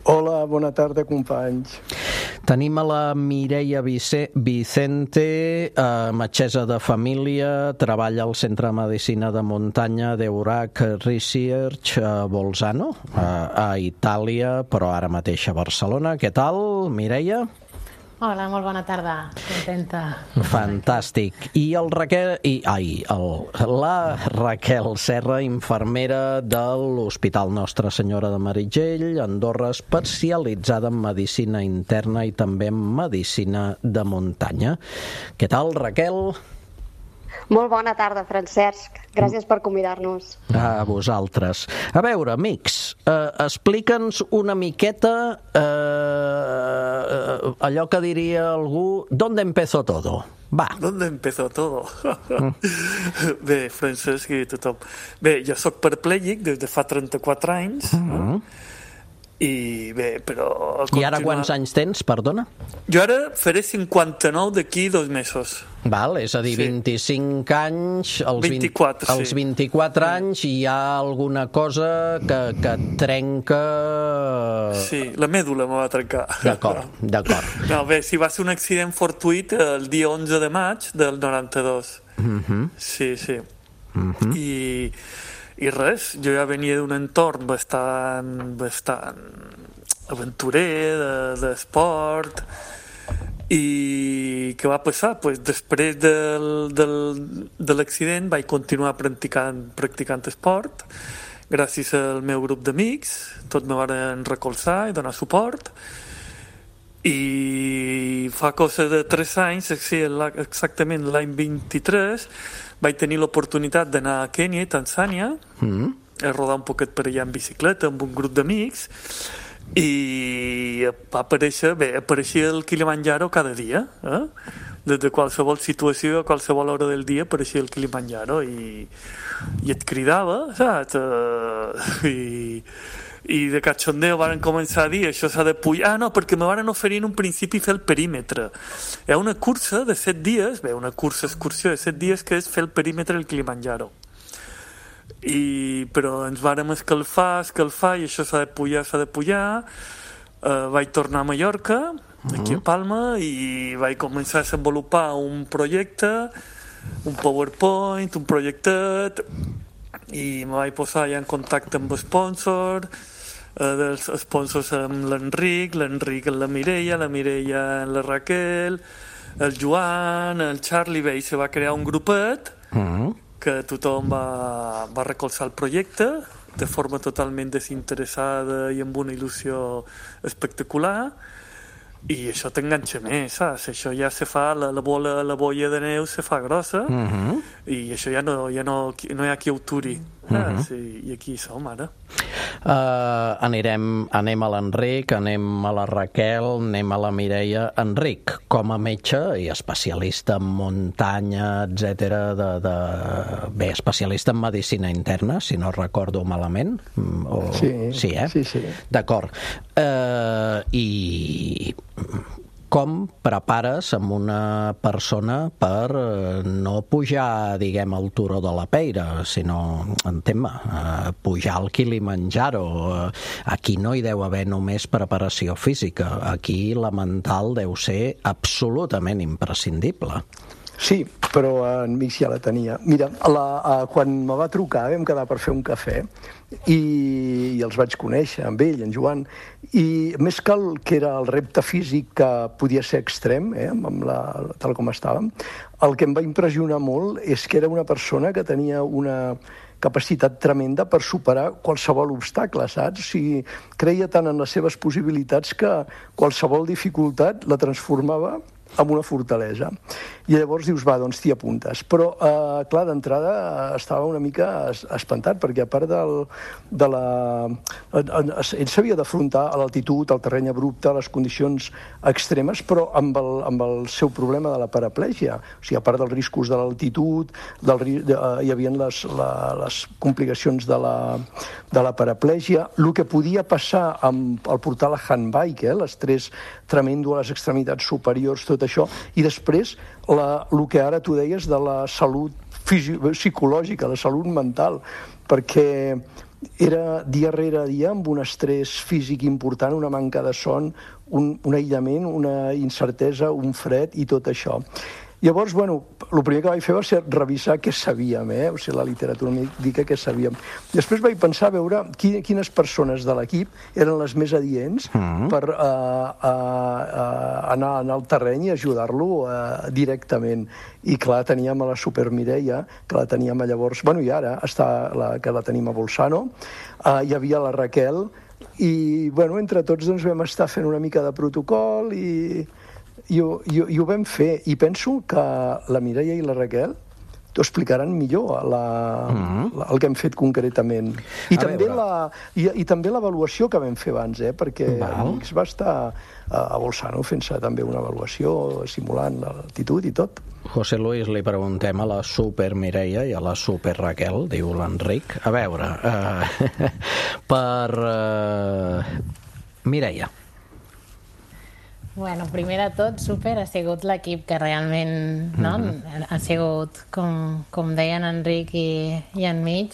Hola, bona tarda, companys. Tenim a la Mireia Vicente, metgessa de família, treballa al Centre de Medicina de Muntanya d'Eurac Research a Bolzano, a Itàlia, però ara mateix a Barcelona. Què tal, Mireia? Hola, molt bona tarda. Contenta. Fantàstic. I la Raquel Serra, infermera de l'Hospital Nostra Senyora de Meritxell, Andorra, especialitzada en medicina interna i també en medicina de muntanya. Què tal, Raquel? Molt bona tarda, Francesc. Gràcies per convidar-nos. A vosaltres. A veure, amics, explica'ns una miqueta allò que diria algú, ¿dónde empezó todo? Va. ¿Dónde empezó todo? Bé, Francesc i tothom. Bé, jo sóc paraplégic des de fa 34 anys. I bé, però... I ara quants anys tens, perdona? Jo ara faré 59 d'aquí 2 mesos. Val, és a dir, 25 anys, als 24 anys hi ha alguna cosa que trenca... Sí, la mèdula me va trencar. D'acord. No, bé, si va ser un accident fortuït el dia 11 de maig del 92. Sí. I res, jo ja venia d'un entorn bastant aventurer, d'esport. I què va passar? Pues després de l'accident vaig continuar practicant esport gràcies al meu grup d'amics. Tots me van recolzar i donar suport. I fa cosa de 3 anys, exactament l'any 23, vaig tenir l'oportunitat d'anar a Kènia i Tanzània a rodar un poquet per allà en bicicleta amb un grup d'amics. I apareixia el Kilimanjaro cada dia, des de qualsevol situació, a qualsevol hora del dia apareixia el Kilimanjaro i et cridava, saps? I de cachondeo van començar a dir això s'ha de pujar, no, perquè me van oferir en un principi fer el perímetre. Hi ha una cursa de 7 dies, una excursió de 7 dies que és fer el perímetre del Kilimanjaro. Però ens vàrem escalfar i això s'ha de pujar. Vaig tornar a Mallorca, aquí a Palma, i vaig començar a desenvolupar un projecte, un PowerPoint, un projectet, i me vaig posar ja en contacte amb l'sponsor, dels sponsors amb l'Enric amb la Mireia amb la Raquel, el Joan, el Charlie, i se va crear un grupet que tothom va recolzar el projecte de forma totalment desinteressada i amb una il·lusió espectacular, i això t'enganxa més, saps? Això ja se fa, la bolla de neu se fa grossa, i això ja no hi ha qui ho turi. I aquí som ara. Anem a l'Enric, anem a la Raquel, anem a la Mireia. Enric, com a metge i especialista en muntanya, etc., bé, especialista en medicina interna, si no recordo malament. Sí. D'acord. I com prepares amb una persona per no pujar, diguem, al Turó de la Peira, sinó, pujar al Kilimanjaro? Aquí no hi deu haver només preparació física, aquí la mental deu ser absolutament imprescindible. Sí, però en Mix ja la tenia. Mira, quan me va trucar vam quedar per fer un cafè i els vaig conèixer, amb ell, en Joan, i més que que era el repte físic que podia ser extrem, tal com estàvem, el que em va impressionar molt és que era una persona que tenia una capacitat tremenda per superar qualsevol obstacle, saps? O sigui, creia tant en les seves possibilitats que qualsevol dificultat la transformava en una fortalesa. I llavors dius, va, doncs t'hi apuntes. Però, clar, d'entrada estava una mica espantat, perquè a part ell s'havia d'afrontar a l'altitud, al terreny abrupte, a les condicions extremes, però amb el seu problema de la paraplègia. O sigui, a part dels riscos de l'altitud, hi havia les complicacions de la paraplègia, el que podia passar al portar la handbike, l'estrès tremendo a les extremitats superiors, tot això, i després el que ara tu deies de la salut psicològica, la salut mental, perquè era dia rere dia amb un estrès físic important, una manca de son, un aïllament, una incertesa, un fred i tot això. Llavors, bueno, el primer que vaig fer va ser revisar què sabíem, o sigui, la literatura mèdica, què sabíem. Després vaig pensar a veure quines persones de l'equip eren les més adients per anar al terreny i ajudar-lo directament. I clar, teníem a la Super Mireia, que la teníem llavors, bueno, i ara que la tenim a Bolzano, hi havia la Raquel, i bueno, entre tots doncs, vam estar fent una mica de protocol i ho vam fer, i penso que la Mireia i la Raquel t'ho explicaran millor el que hem fet concretament. I també l'avaluació que vam fer abans, perquè Mix va estar a Bolzano fent-se també una avaluació, simulant l'altitud i tot. José Luis, li preguntem a la Super Mireia i a la Super Raquel, diu l'Enric. A veure, per Mireia. Bueno, primer de tot, Super ha sigut l'equip que realment ha sigut, com deien Enric i en Mig,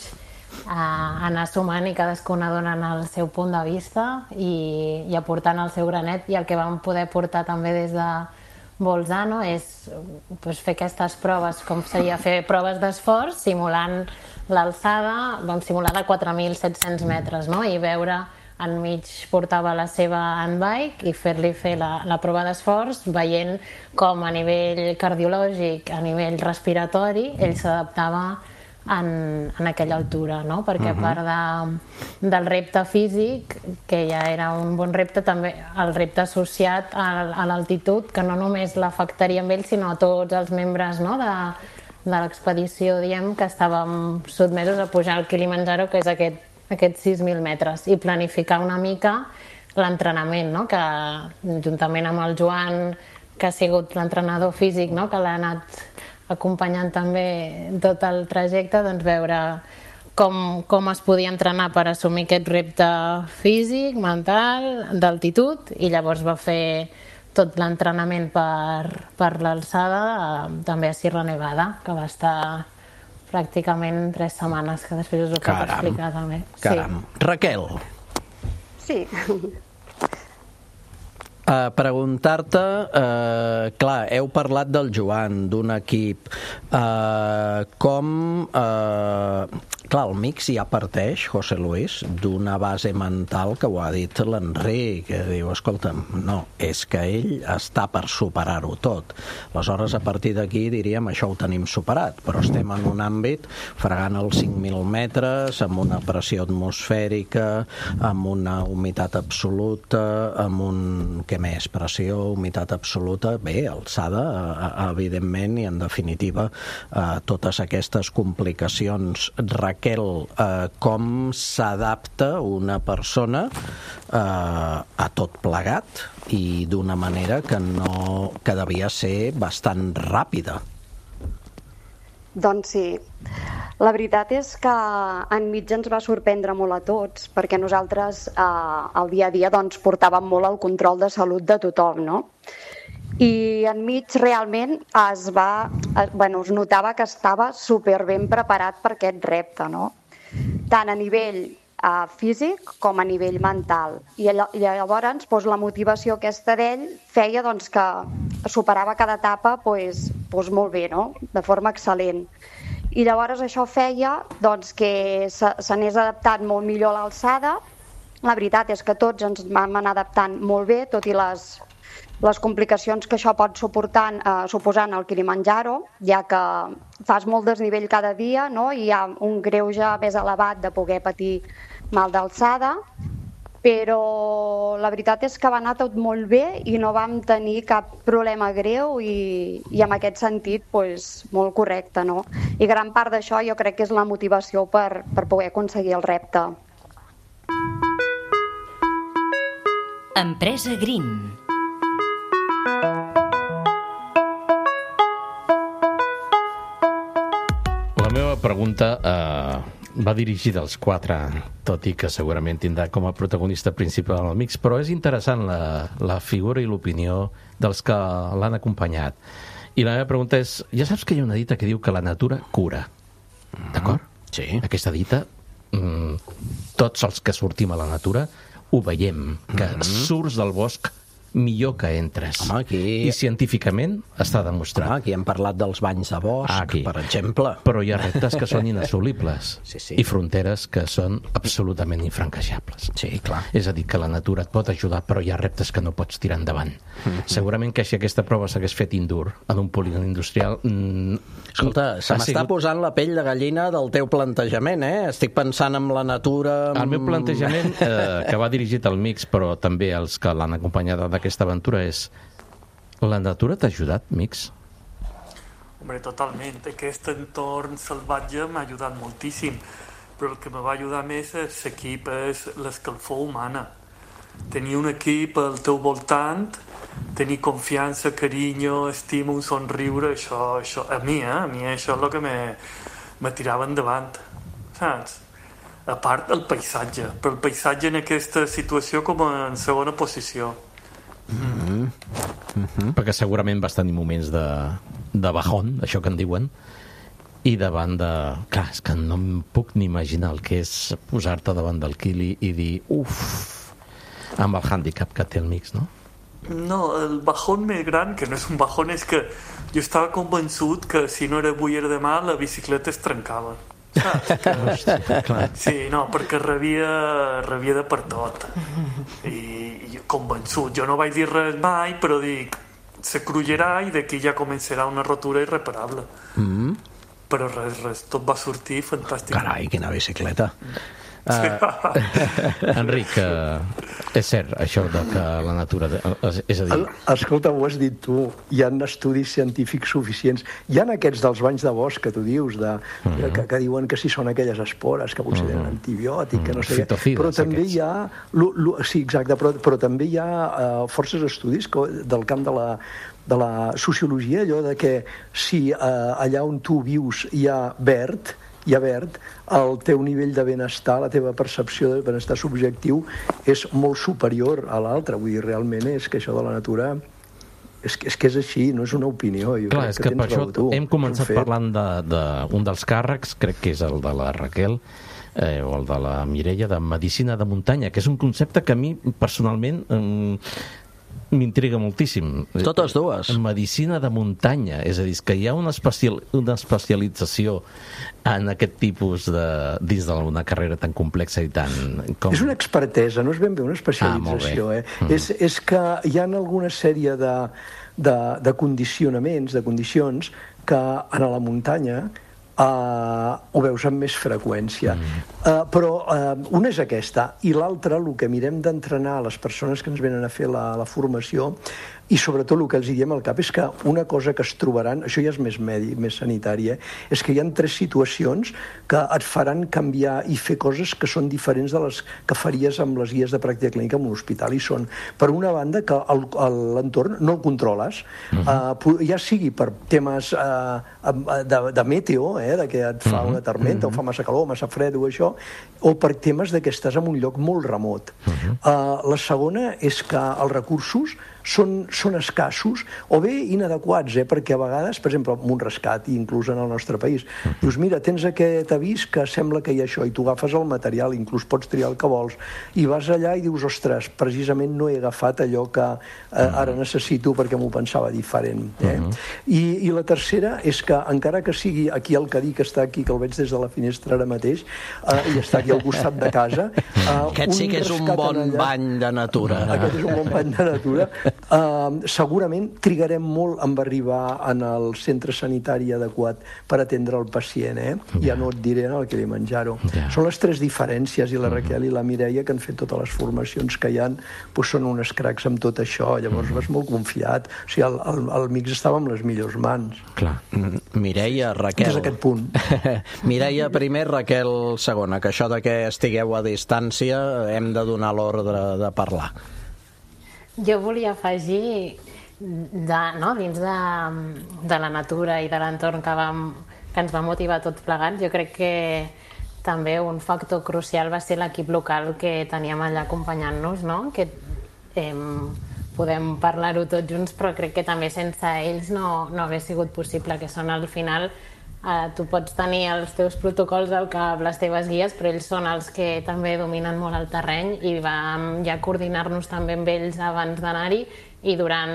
anar sumant i cadascuna donant el seu punt de vista i aportant el seu granet, i el que vam poder portar també des de Bolzano és fer aquestes proves, com seria fer proves d'esforç, simulant l'alçada, vam simular de 4.700 metres, i veure en Mig portava la seva handbike i fer-li fer la prova d'esforç, veient com a nivell cardiològic, a nivell respiratori, ell s'adaptava en aquella altura, perquè a part del repte físic, que ja era un bon repte, també el repte associat a l'altitud, que no només l'afectaria amb ell, sinó a tots els membres de l'expedició, diem, que estàvem sotmesos a pujar al Kilimanjaro, que és aquests 6.000 metres, i planificar una mica l'entrenament, que juntament amb el Joan, que ha sigut l'entrenador físic, que l'ha anat acompanyant també tot el trajecte, doncs veure com es podia entrenar per assumir aquest repte físic, mental, d'altitud, i llavors va fer tot l'entrenament per l'alçada, també a Sierra Nevada, que va estar pràcticament 3 setmanes, que després us ho puc explicar també. Caram. Raquel. Sí. Preguntar-te, clar, heu parlat del Joan, d'un equip, clar, el Mix ja parteix, José Luis, d'una base mental que ho ha dit l'Enric, que diu, escolta'm, no, és que ell està per superar-ho tot. Aleshores, a partir d'aquí diríem, això ho tenim superat, però estem en un àmbit fregant els 5.000 metres, amb una pressió atmosfèrica, amb una humitat absoluta, amb un... què més? Pressió, humitat absoluta, bé, alçada, evidentment, i en definitiva totes aquestes complicacions. Raquel, com s'adapta una persona a tot plegat i d'una manera que devia ser bastant ràpida? Doncs sí. La veritat és que en Mig ens va sorprendre molt a tots, perquè nosaltres al dia a dia portàvem molt el control de salut de tothom, no? I en Mig realment es notava que estava superben preparat per aquest repte, no? Tant a nivell físic com a nivell mental. I llavors la motivació aquesta d'ell feia que superava cada etapa molt bé, no? De forma excel·lent. I llavors això feia doncs, que s'anés adaptant molt millor a l'alçada. La veritat és que tots ens vam anar adaptant molt bé, tot i les complicacions que això pot suposar el Kilimanjaro, ja que fas molt desnivell cada dia, no? I hi ha un greuge més elevat de poder patir mal d'alçada, però la veritat és que va anar tot molt bé i no vam tenir cap problema greu i en aquest sentit molt correcte, no? I gran part d'això jo crec que és la motivació per poder aconseguir el repte. Empresa Green. La meva pregunta va dirigida als quatre, tot i que segurament tindrà com a protagonista principal el Mix, però és interessant la figura i l'opinió dels que l'han acompanyat. I la meva pregunta és, ja saps que hi ha una dita que diu que la natura cura, d'acord? Sí. Aquesta dita, tots els que sortim a la natura ho veiem, que surts del bosc millor que entres. Home, aquí... I científicament està demostrat. Home, aquí hem parlat dels banys de bosc, per exemple. Però hi ha reptes que són inassolibles sí. I fronteres que són absolutament infranquejables. Sí, clar. És a dir, que la natura et pot ajudar, però hi ha reptes que no pots tirar endavant. Segurament que si aquesta prova s'hagués fet indoor en un polígon industrial... Escolta, se m'està posant la pell de gallina del teu plantejament, eh? Estic pensant en la natura... El meu plantejament, que va dirigit al Mix, però també als que l'han acompanyat d'aquesta aventura, és: la natura t'ha ajudat, Mix? Hombre, totalment. Aquest entorn salvatge m'ha ajudat moltíssim, però el que me va ajudar més és l'equip, és l'escalfor humana. Tenir un equip al teu voltant, tenir confiança, carinyo, estima, un somriure, això a mi això és el que me tirava endavant, saps? A part del paisatge, però el paisatge en aquesta situació com en segona posició. Perquè segurament vas tenir moments de bajón, això que en diuen, i davant de... Clar, és que no em puc ni imaginar el que és posar-te davant del Kili i dir amb el hàndicap que té el Mix, no? No, el bajón més gran, que no és un bajón, és que jo estava convençut que si no era avui era demà la bicicleta es trencava. Saps? Sí, no, perquè rebia de per tot. I convençut. Jo no vaig dir res mai, però dic, se crullerà i d'aquí ja començarà una rotura irreparable. Però res, tot va sortir fantàstic. Carai, quina bicicleta. Enric, és cert això de que la natura, és a dir... Escolta, ho has dit tu, hi ha estudis científics suficients, hi ha aquests dels banys de bosc que tu dius, que diuen que si són aquelles espores que potser tenen antibiòtic, que no sé què, però també hi ha sí, exacte, però també hi ha forces estudis del camp de la sociologia, allò de que si allà on tu vius hi ha verd, el teu nivell de benestar, la teva percepció de benestar subjectiu és molt superior a l'altre. Vull dir, realment és que això de la natura és que és així, no és una opinió. Clar, és que per això hem començat parlant d'un dels càrrecs, crec que és el de la Raquel, o el de la Mireia, de medicina de muntanya, que és un concepte que a mi personalment m'intriga moltíssim. Totes dues. Medicina de muntanya, és a dir, que hi ha una especialització en aquest tipus dins d'una carrera tan complexa i tan... És una expertesa, no és ben bé una especialització. És que hi ha alguna sèrie de condicionaments, de condicions, que a la muntanya ho veus amb més freqüència. Però una és aquesta, i l'altra, el que mirem d'entrenar a les persones que ens venen a fer la formació, i sobretot el que els diem al cap és que una cosa que es trobaran, això ja és més més sanitari, és que hi ha 3 situacions que et faran canviar i fer coses que són diferents de les que faries amb les guies de pràctica clínica en un hospital, i són, per una banda, que l'entorn no el controles, ja sigui per temes de meteo, de que et fa una tormenta, o fa massa calor, massa fred o això, o per temes de que estàs en un lloc molt remot. La segona és que els recursos són són escassos o bé inadequats, perquè a vegades, per exemple, amb un rescat, i inclús en el nostre país, dius, mira, tens aquest avís que sembla que hi ha això, i tu agafes el material, inclús pots triar el que vols, i vas allà i dius, ostres, precisament no he agafat allò que ara necessito perquè m'ho pensava diferent. I la tercera és que, encara que sigui aquí el Cadí, que està aquí, que el veig des de la finestra ara mateix, i està aquí al costat de casa... Aquest sí que és un bon bany de natura. Aquest és un bon bany de natura. Segurament trigarem molt en arribar en el centre sanitari adequat per atendre el pacient, Ja no et diré en el que ve menjar-ho. Són les tres diferències, i la Raquel i la Mireia, que han fet totes les formacions que hi ha, són unes cracs amb tot això, llavors vas molt confiat. O sigui, el mix estava en les millors mans. Clar. Mireia, Raquel... Des d'aquest punt. Mireia primer, Raquel segona, que això de que estigueu a distància hem de donar l'ordre de parlar. Jo volia afegir, dins de la natura i de l'entorn que ens va motivar tots plegats, jo crec que també un factor crucial va ser l'equip local que teníem allà acompanyant-nos, que podem parlar-ho tots junts, però crec que també sense ells no hagués sigut possible, que són al final... Tu pots tenir els teus protocols al cap, les teves guies, però ells són els que també dominen molt el terreny i vam ja coordinar-nos també amb ells abans d'anar-hi i durant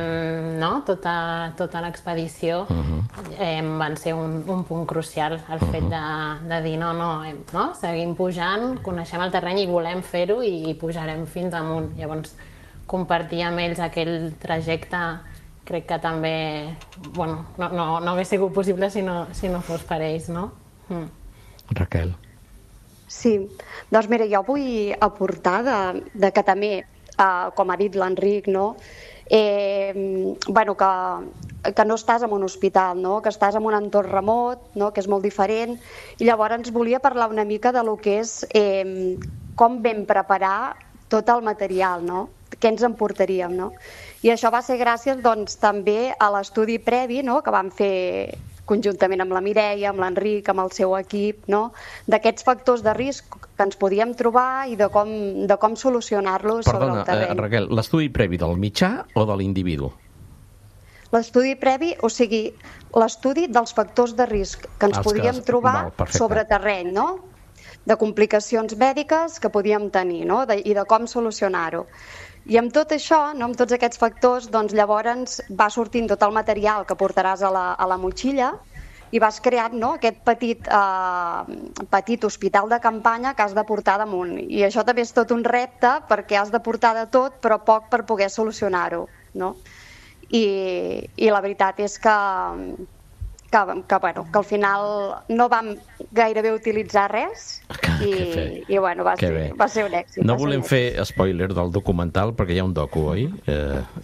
tota l'expedició van ser un punt crucial el fet de dir seguim pujant, coneixem el terreny i volem fer-ho i pujarem fins amunt. Llavors compartir amb ells aquell trajecte crec que també no hagués sigut possible si no fos per ells, no? Raquel. Sí, doncs mira, jo vull aportar de que també, com ha dit l'Enric, que no estàs en un hospital, que estàs en un entorn remot, que és molt diferent, i llavors volia parlar una mica de lo que és com vam preparar tot el material, què ens emportaríem, I això va ser gràcies, també a l'estudi previ, que vam fer conjuntament amb la Mireia, amb l'Enric, amb el seu equip, d'aquests factors de risc que ens podíem trobar i de com solucionar-los sobre el terreny. Perdona, Raquel, l'estudi previ del mitjà o de l'individu? L'estudi previ, o sigui, l'estudi dels factors de risc que ens podíem trobar sobre terreny, de complicacions mèdiques que podíem tenir i de com solucionar-ho. I amb tot això, amb tots aquests factors, llavors va sortint tot el material que portaràs a la motxilla i vas creant aquest petit hospital de campanya que has de portar damunt. I això també és tot un repte perquè has de portar de tot, però poc per poder solucionar-ho. I la veritat és que al final no vam gairebé utilitzar res i va ser un èxit. No volem fer spoiler del documental perquè hi ha un docu, oi?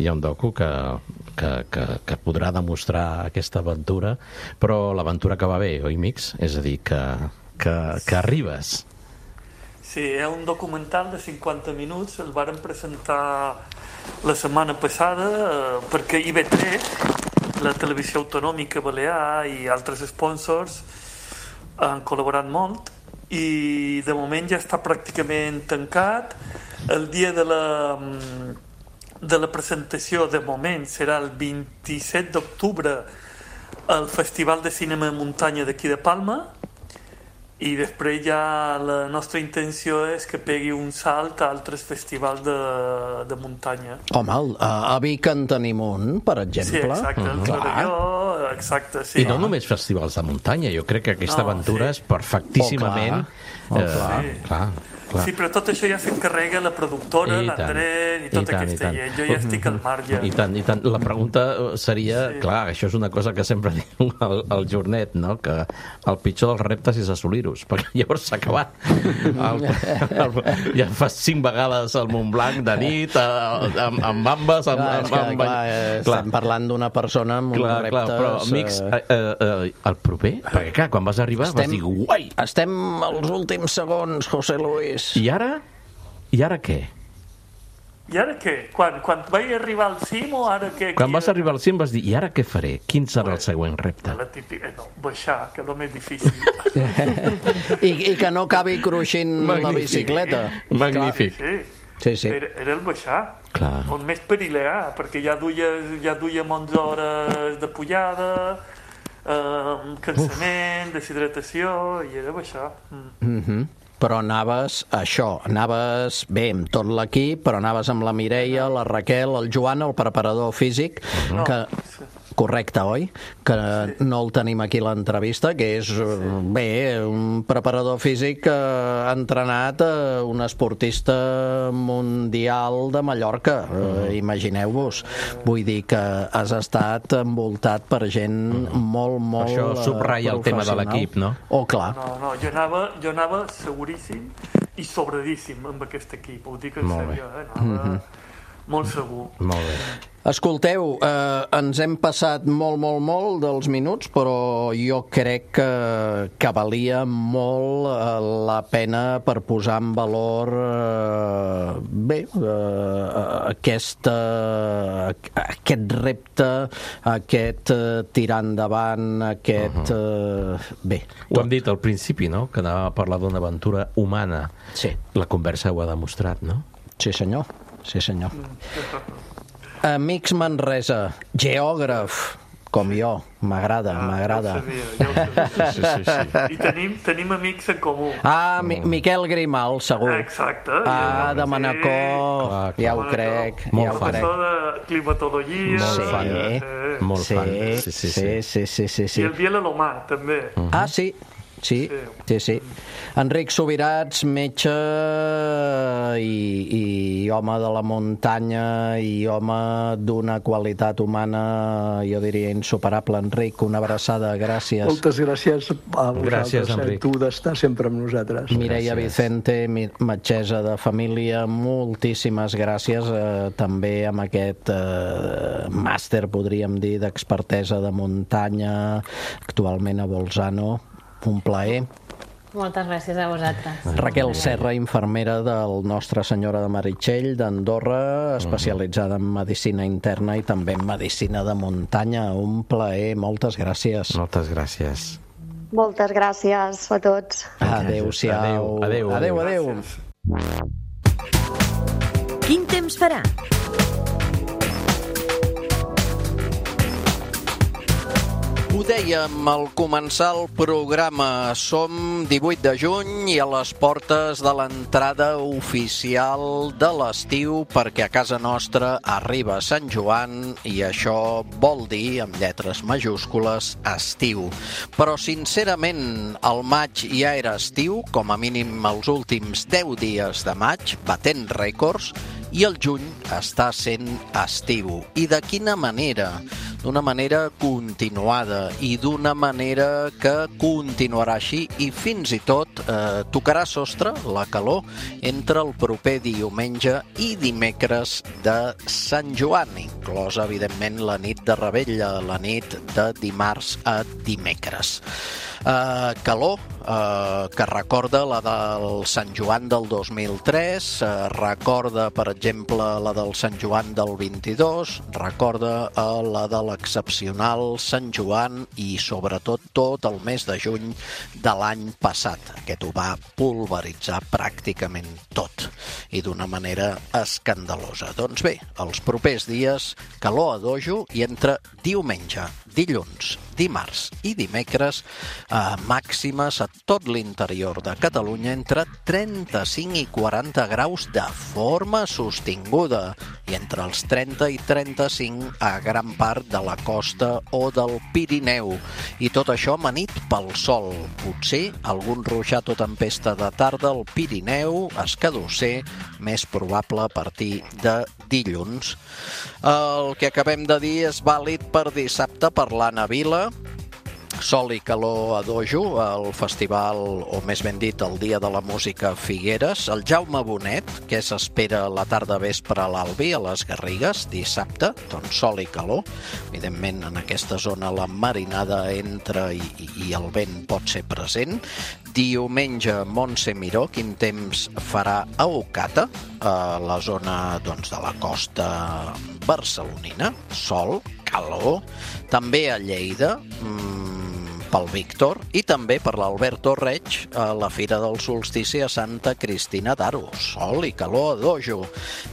Hi ha un docu que podrà demostrar aquesta aventura, però l'aventura que va bé, oi, Mix? És a dir, que arribes. Sí, hi ha un documental de 50 minuts, el varen presentar la setmana passada perquè IB3, la televisió autonòmica balear i altres sponsors han col·laborat molt i de moment ja està pràcticament tancat. El dia de la presentació de moment serà el 27 d'octubre al Festival de Cinema de Muntanya d'aquí de Palma i després ja la nostra intenció és que pegui un salt a altres festivals de muntanya. Home, a Vic en tenim un, per exemple. Sí, exacte, el Clarelló, exacte, sí. I no només festivals de muntanya, jo crec que aquesta aventura és perfectíssimament... Clar. Sí, però tot això ja s'encarrega la productora, l'Andrés i tota aquesta gent. Jo ja estic al marge. I tant. La pregunta seria, clar, això és una cosa que sempre diu el Jornet, que el pitjor dels reptes és assolir-los, perquè llavors s'ha acabat. Ja fas 5 vegades al Montblanc de nit, amb ambes... Estem parlant d'una persona amb uns reptes... Però, amics, el proper, perquè clar, quan vas arribar vas dir, guai! Estem als últims segons, José Luis. I ara? I ara què? I ara què? Quan vaig arribar al cim o ara què? Quan vas arribar al cim vas dir, i ara què faré? Quin serà el següent repte? La típica, baixar, que és el més difícil. I que no acabi cruixint la bicicleta. Magnífic. Sí. era el baixar. On més perill era, perquè ja duia 11 hores de pujada, cansament, deshidratació, i era baixar. Però anaves bé amb tot l'equip, però anaves amb la Mireia, la Raquel, el Joan, el preparador físic, correcte, oi? Que no el tenim aquí a l'entrevista, que és, bé, un preparador físic que ha entrenat un esportista mundial de Mallorca. Imagineu-vos. Vull dir que has estat envoltat per gent molt això subratlla el tema de l'equip, no? Clar. No, jo anava seguríssim i sobradíssim amb aquest equip. Ho dic en sèrio, anava molt segur. Molt bé. Escolteu, ens hem passat molt dels minuts, però jo crec que valia molt la pena per posar en valor aquest repte, aquest tirar endavant, aquest... Ho hem dit al principi, no?, que anàvem a parlar d'una aventura humana. Sí. La conversa ho ha demostrat, no? Sí, senyor. Amics Manresa, geògraf, com jo, m'agrada. Ja ho sabia. I tenim amics en comú. Miquel Grimal, segur. Exacte. De Manacor, ja ho crec. Professor de climatologia. Molt fan. Sí. I el Biel Alomà, també. Sí. Enric Subirats, metge i home de la muntanya i home d'una qualitat humana, jo diria, insuperable. Enric, una abraçada, gràcies. Moltes gràcies a vosaltres. Gràcies, Enric. Tu d'estar sempre amb nosaltres. Mireia Vicente, metgessa de família, moltíssimes gràcies. També amb aquest màster, podríem dir, d'expertesa de muntanya, actualment a Bolzano. Un plaer. Moltes gràcies a vosaltres. Raquel Serra, infermera del Nostra Senyora de Meritxell d'Andorra, especialitzada en medicina interna i també en medicina de muntanya. Un plaer, moltes gràcies. Moltes gràcies. Moltes gràcies a tots. Adéu-siau. Adéu. Quin temps farà? Ho dèiem al començar el programa, som 18 de juny i a les portes de l'entrada oficial de l'estiu, perquè a casa nostra arriba Sant Joan i això vol dir, amb lletres majúscules, estiu. Però sincerament el maig ja era estiu, com a mínim els últims 10 dies de maig, batent rècords, i el juny està sent estiu. I de quina manera? D'una manera continuada i d'una manera que continuarà així i fins i tot tocarà sostre la calor entre el proper diumenge i dimecres de Sant Joan, inclosa, evidentment, la nit de Revetlla, la nit de dimarts a dimecres. Calor que recorda la del Sant Joan del 2003, recorda, per exemple, la del Sant Joan del 22, recorda la de l'excepcional Sant Joan i, sobretot, tot el mes de juny de l'any passat. Aquest ho va pulveritzar pràcticament tot i d'una manera escandalosa. Doncs bé, els propers dies, calor a dojo i entre diumenge, dilluns, dimarts i dimecres, màximes a tot l'interior de Catalunya entre 35 i 40 graus de forma sostinguda i entre els 30 i 35 a gran part de la costa o del Pirineu. I tot això amanit pel sol. Potser algun ruixat o tempesta de tarda al Pirineu, escadusser, més probable a partir de dilluns. El que acabem de dir és vàlid per dissabte per l'Anna Vila. Sol i calor a dojo, el festival, o més ben dit, el Dia de la Música Figueres. El Jaume Bonet, que s'espera la tarda vespre a l'Albi, a les Garrigues, dissabte, doncs sol i calor. Evidentment, en aquesta zona la marinada entra i el vent pot ser present. Diumenge, Montse Miró, quin temps farà a Ocata, a la zona doncs, de la costa barcelonina. Sol, calor. També a Lleida, pel Víctor i també per l'Alberto Reig a la Fira del Solstici a Santa Cristina d'Aro. Sol i calor a dojo.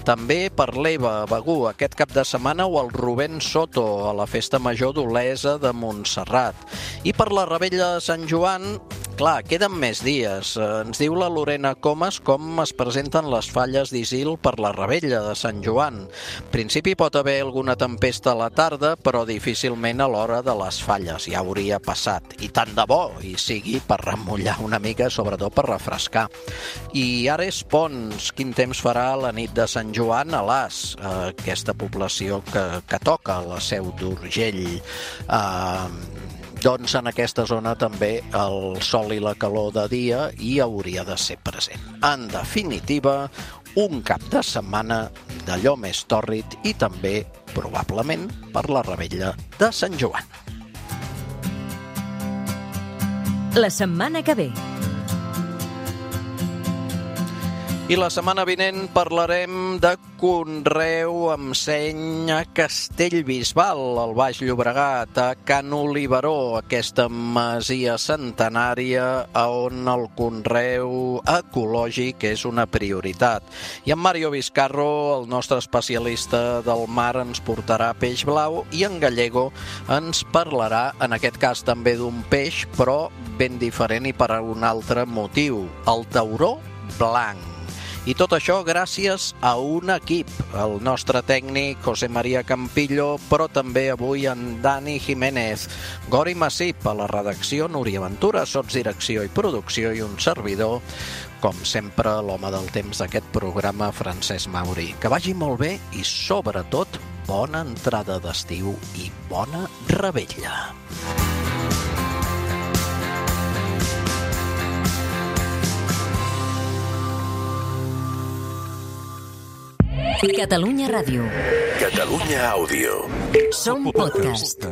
També per l'Eva Begú aquest cap de setmana o el Rubén Soto a la Festa Major d'Olesa de Montserrat. I per la Revetlla de Sant Joan, clar, queden més dies. Ens diu la Lorena Comas com es presenten les falles d'Isil per la Revetlla de Sant Joan. En principi pot haver alguna tempesta a la tarda, però difícilment a l'hora de les falles. Ja hauria passat. I tant de bo, i sigui per remullar una mica, sobretot per refrescar. I ara és Pons. Quin temps farà la nit de Sant Joan a l'As, aquesta població que toca la Seu d'Urgell. Doncs en aquesta zona també el sol i la calor de dia hi hauria de ser present. En definitiva, un cap de setmana d'allò més tòrrid i també, probablement, per la Revetlla de Sant Joan. La setmana que ve. I la setmana vinent parlarem de conreu amb seny a Castellbisbal, al Baix Llobregat, a Can Oliveró, aquesta masia centenària on el conreu ecològic és una prioritat. I en Mario Vizcarro, el nostre especialista del mar, ens portarà peix blau i en Gallego ens parlarà, en aquest cas també d'un peix, però ben diferent i per un altre motiu, el tauró blanc. I tot això gràcies a un equip, el nostre tècnic José María Campillo, però també avui en Dani Jiménez, Gori Massip a la redacció, Núria Ventura, sotsdirecció i producció i un servidor, com sempre, l'home del temps d'aquest programa, Francesc Mauri. Que vagi molt bé i, sobretot, bona entrada d'estiu i bona revetlla. Catalunya Ràdio. Catalunya Àudio. Som podcast.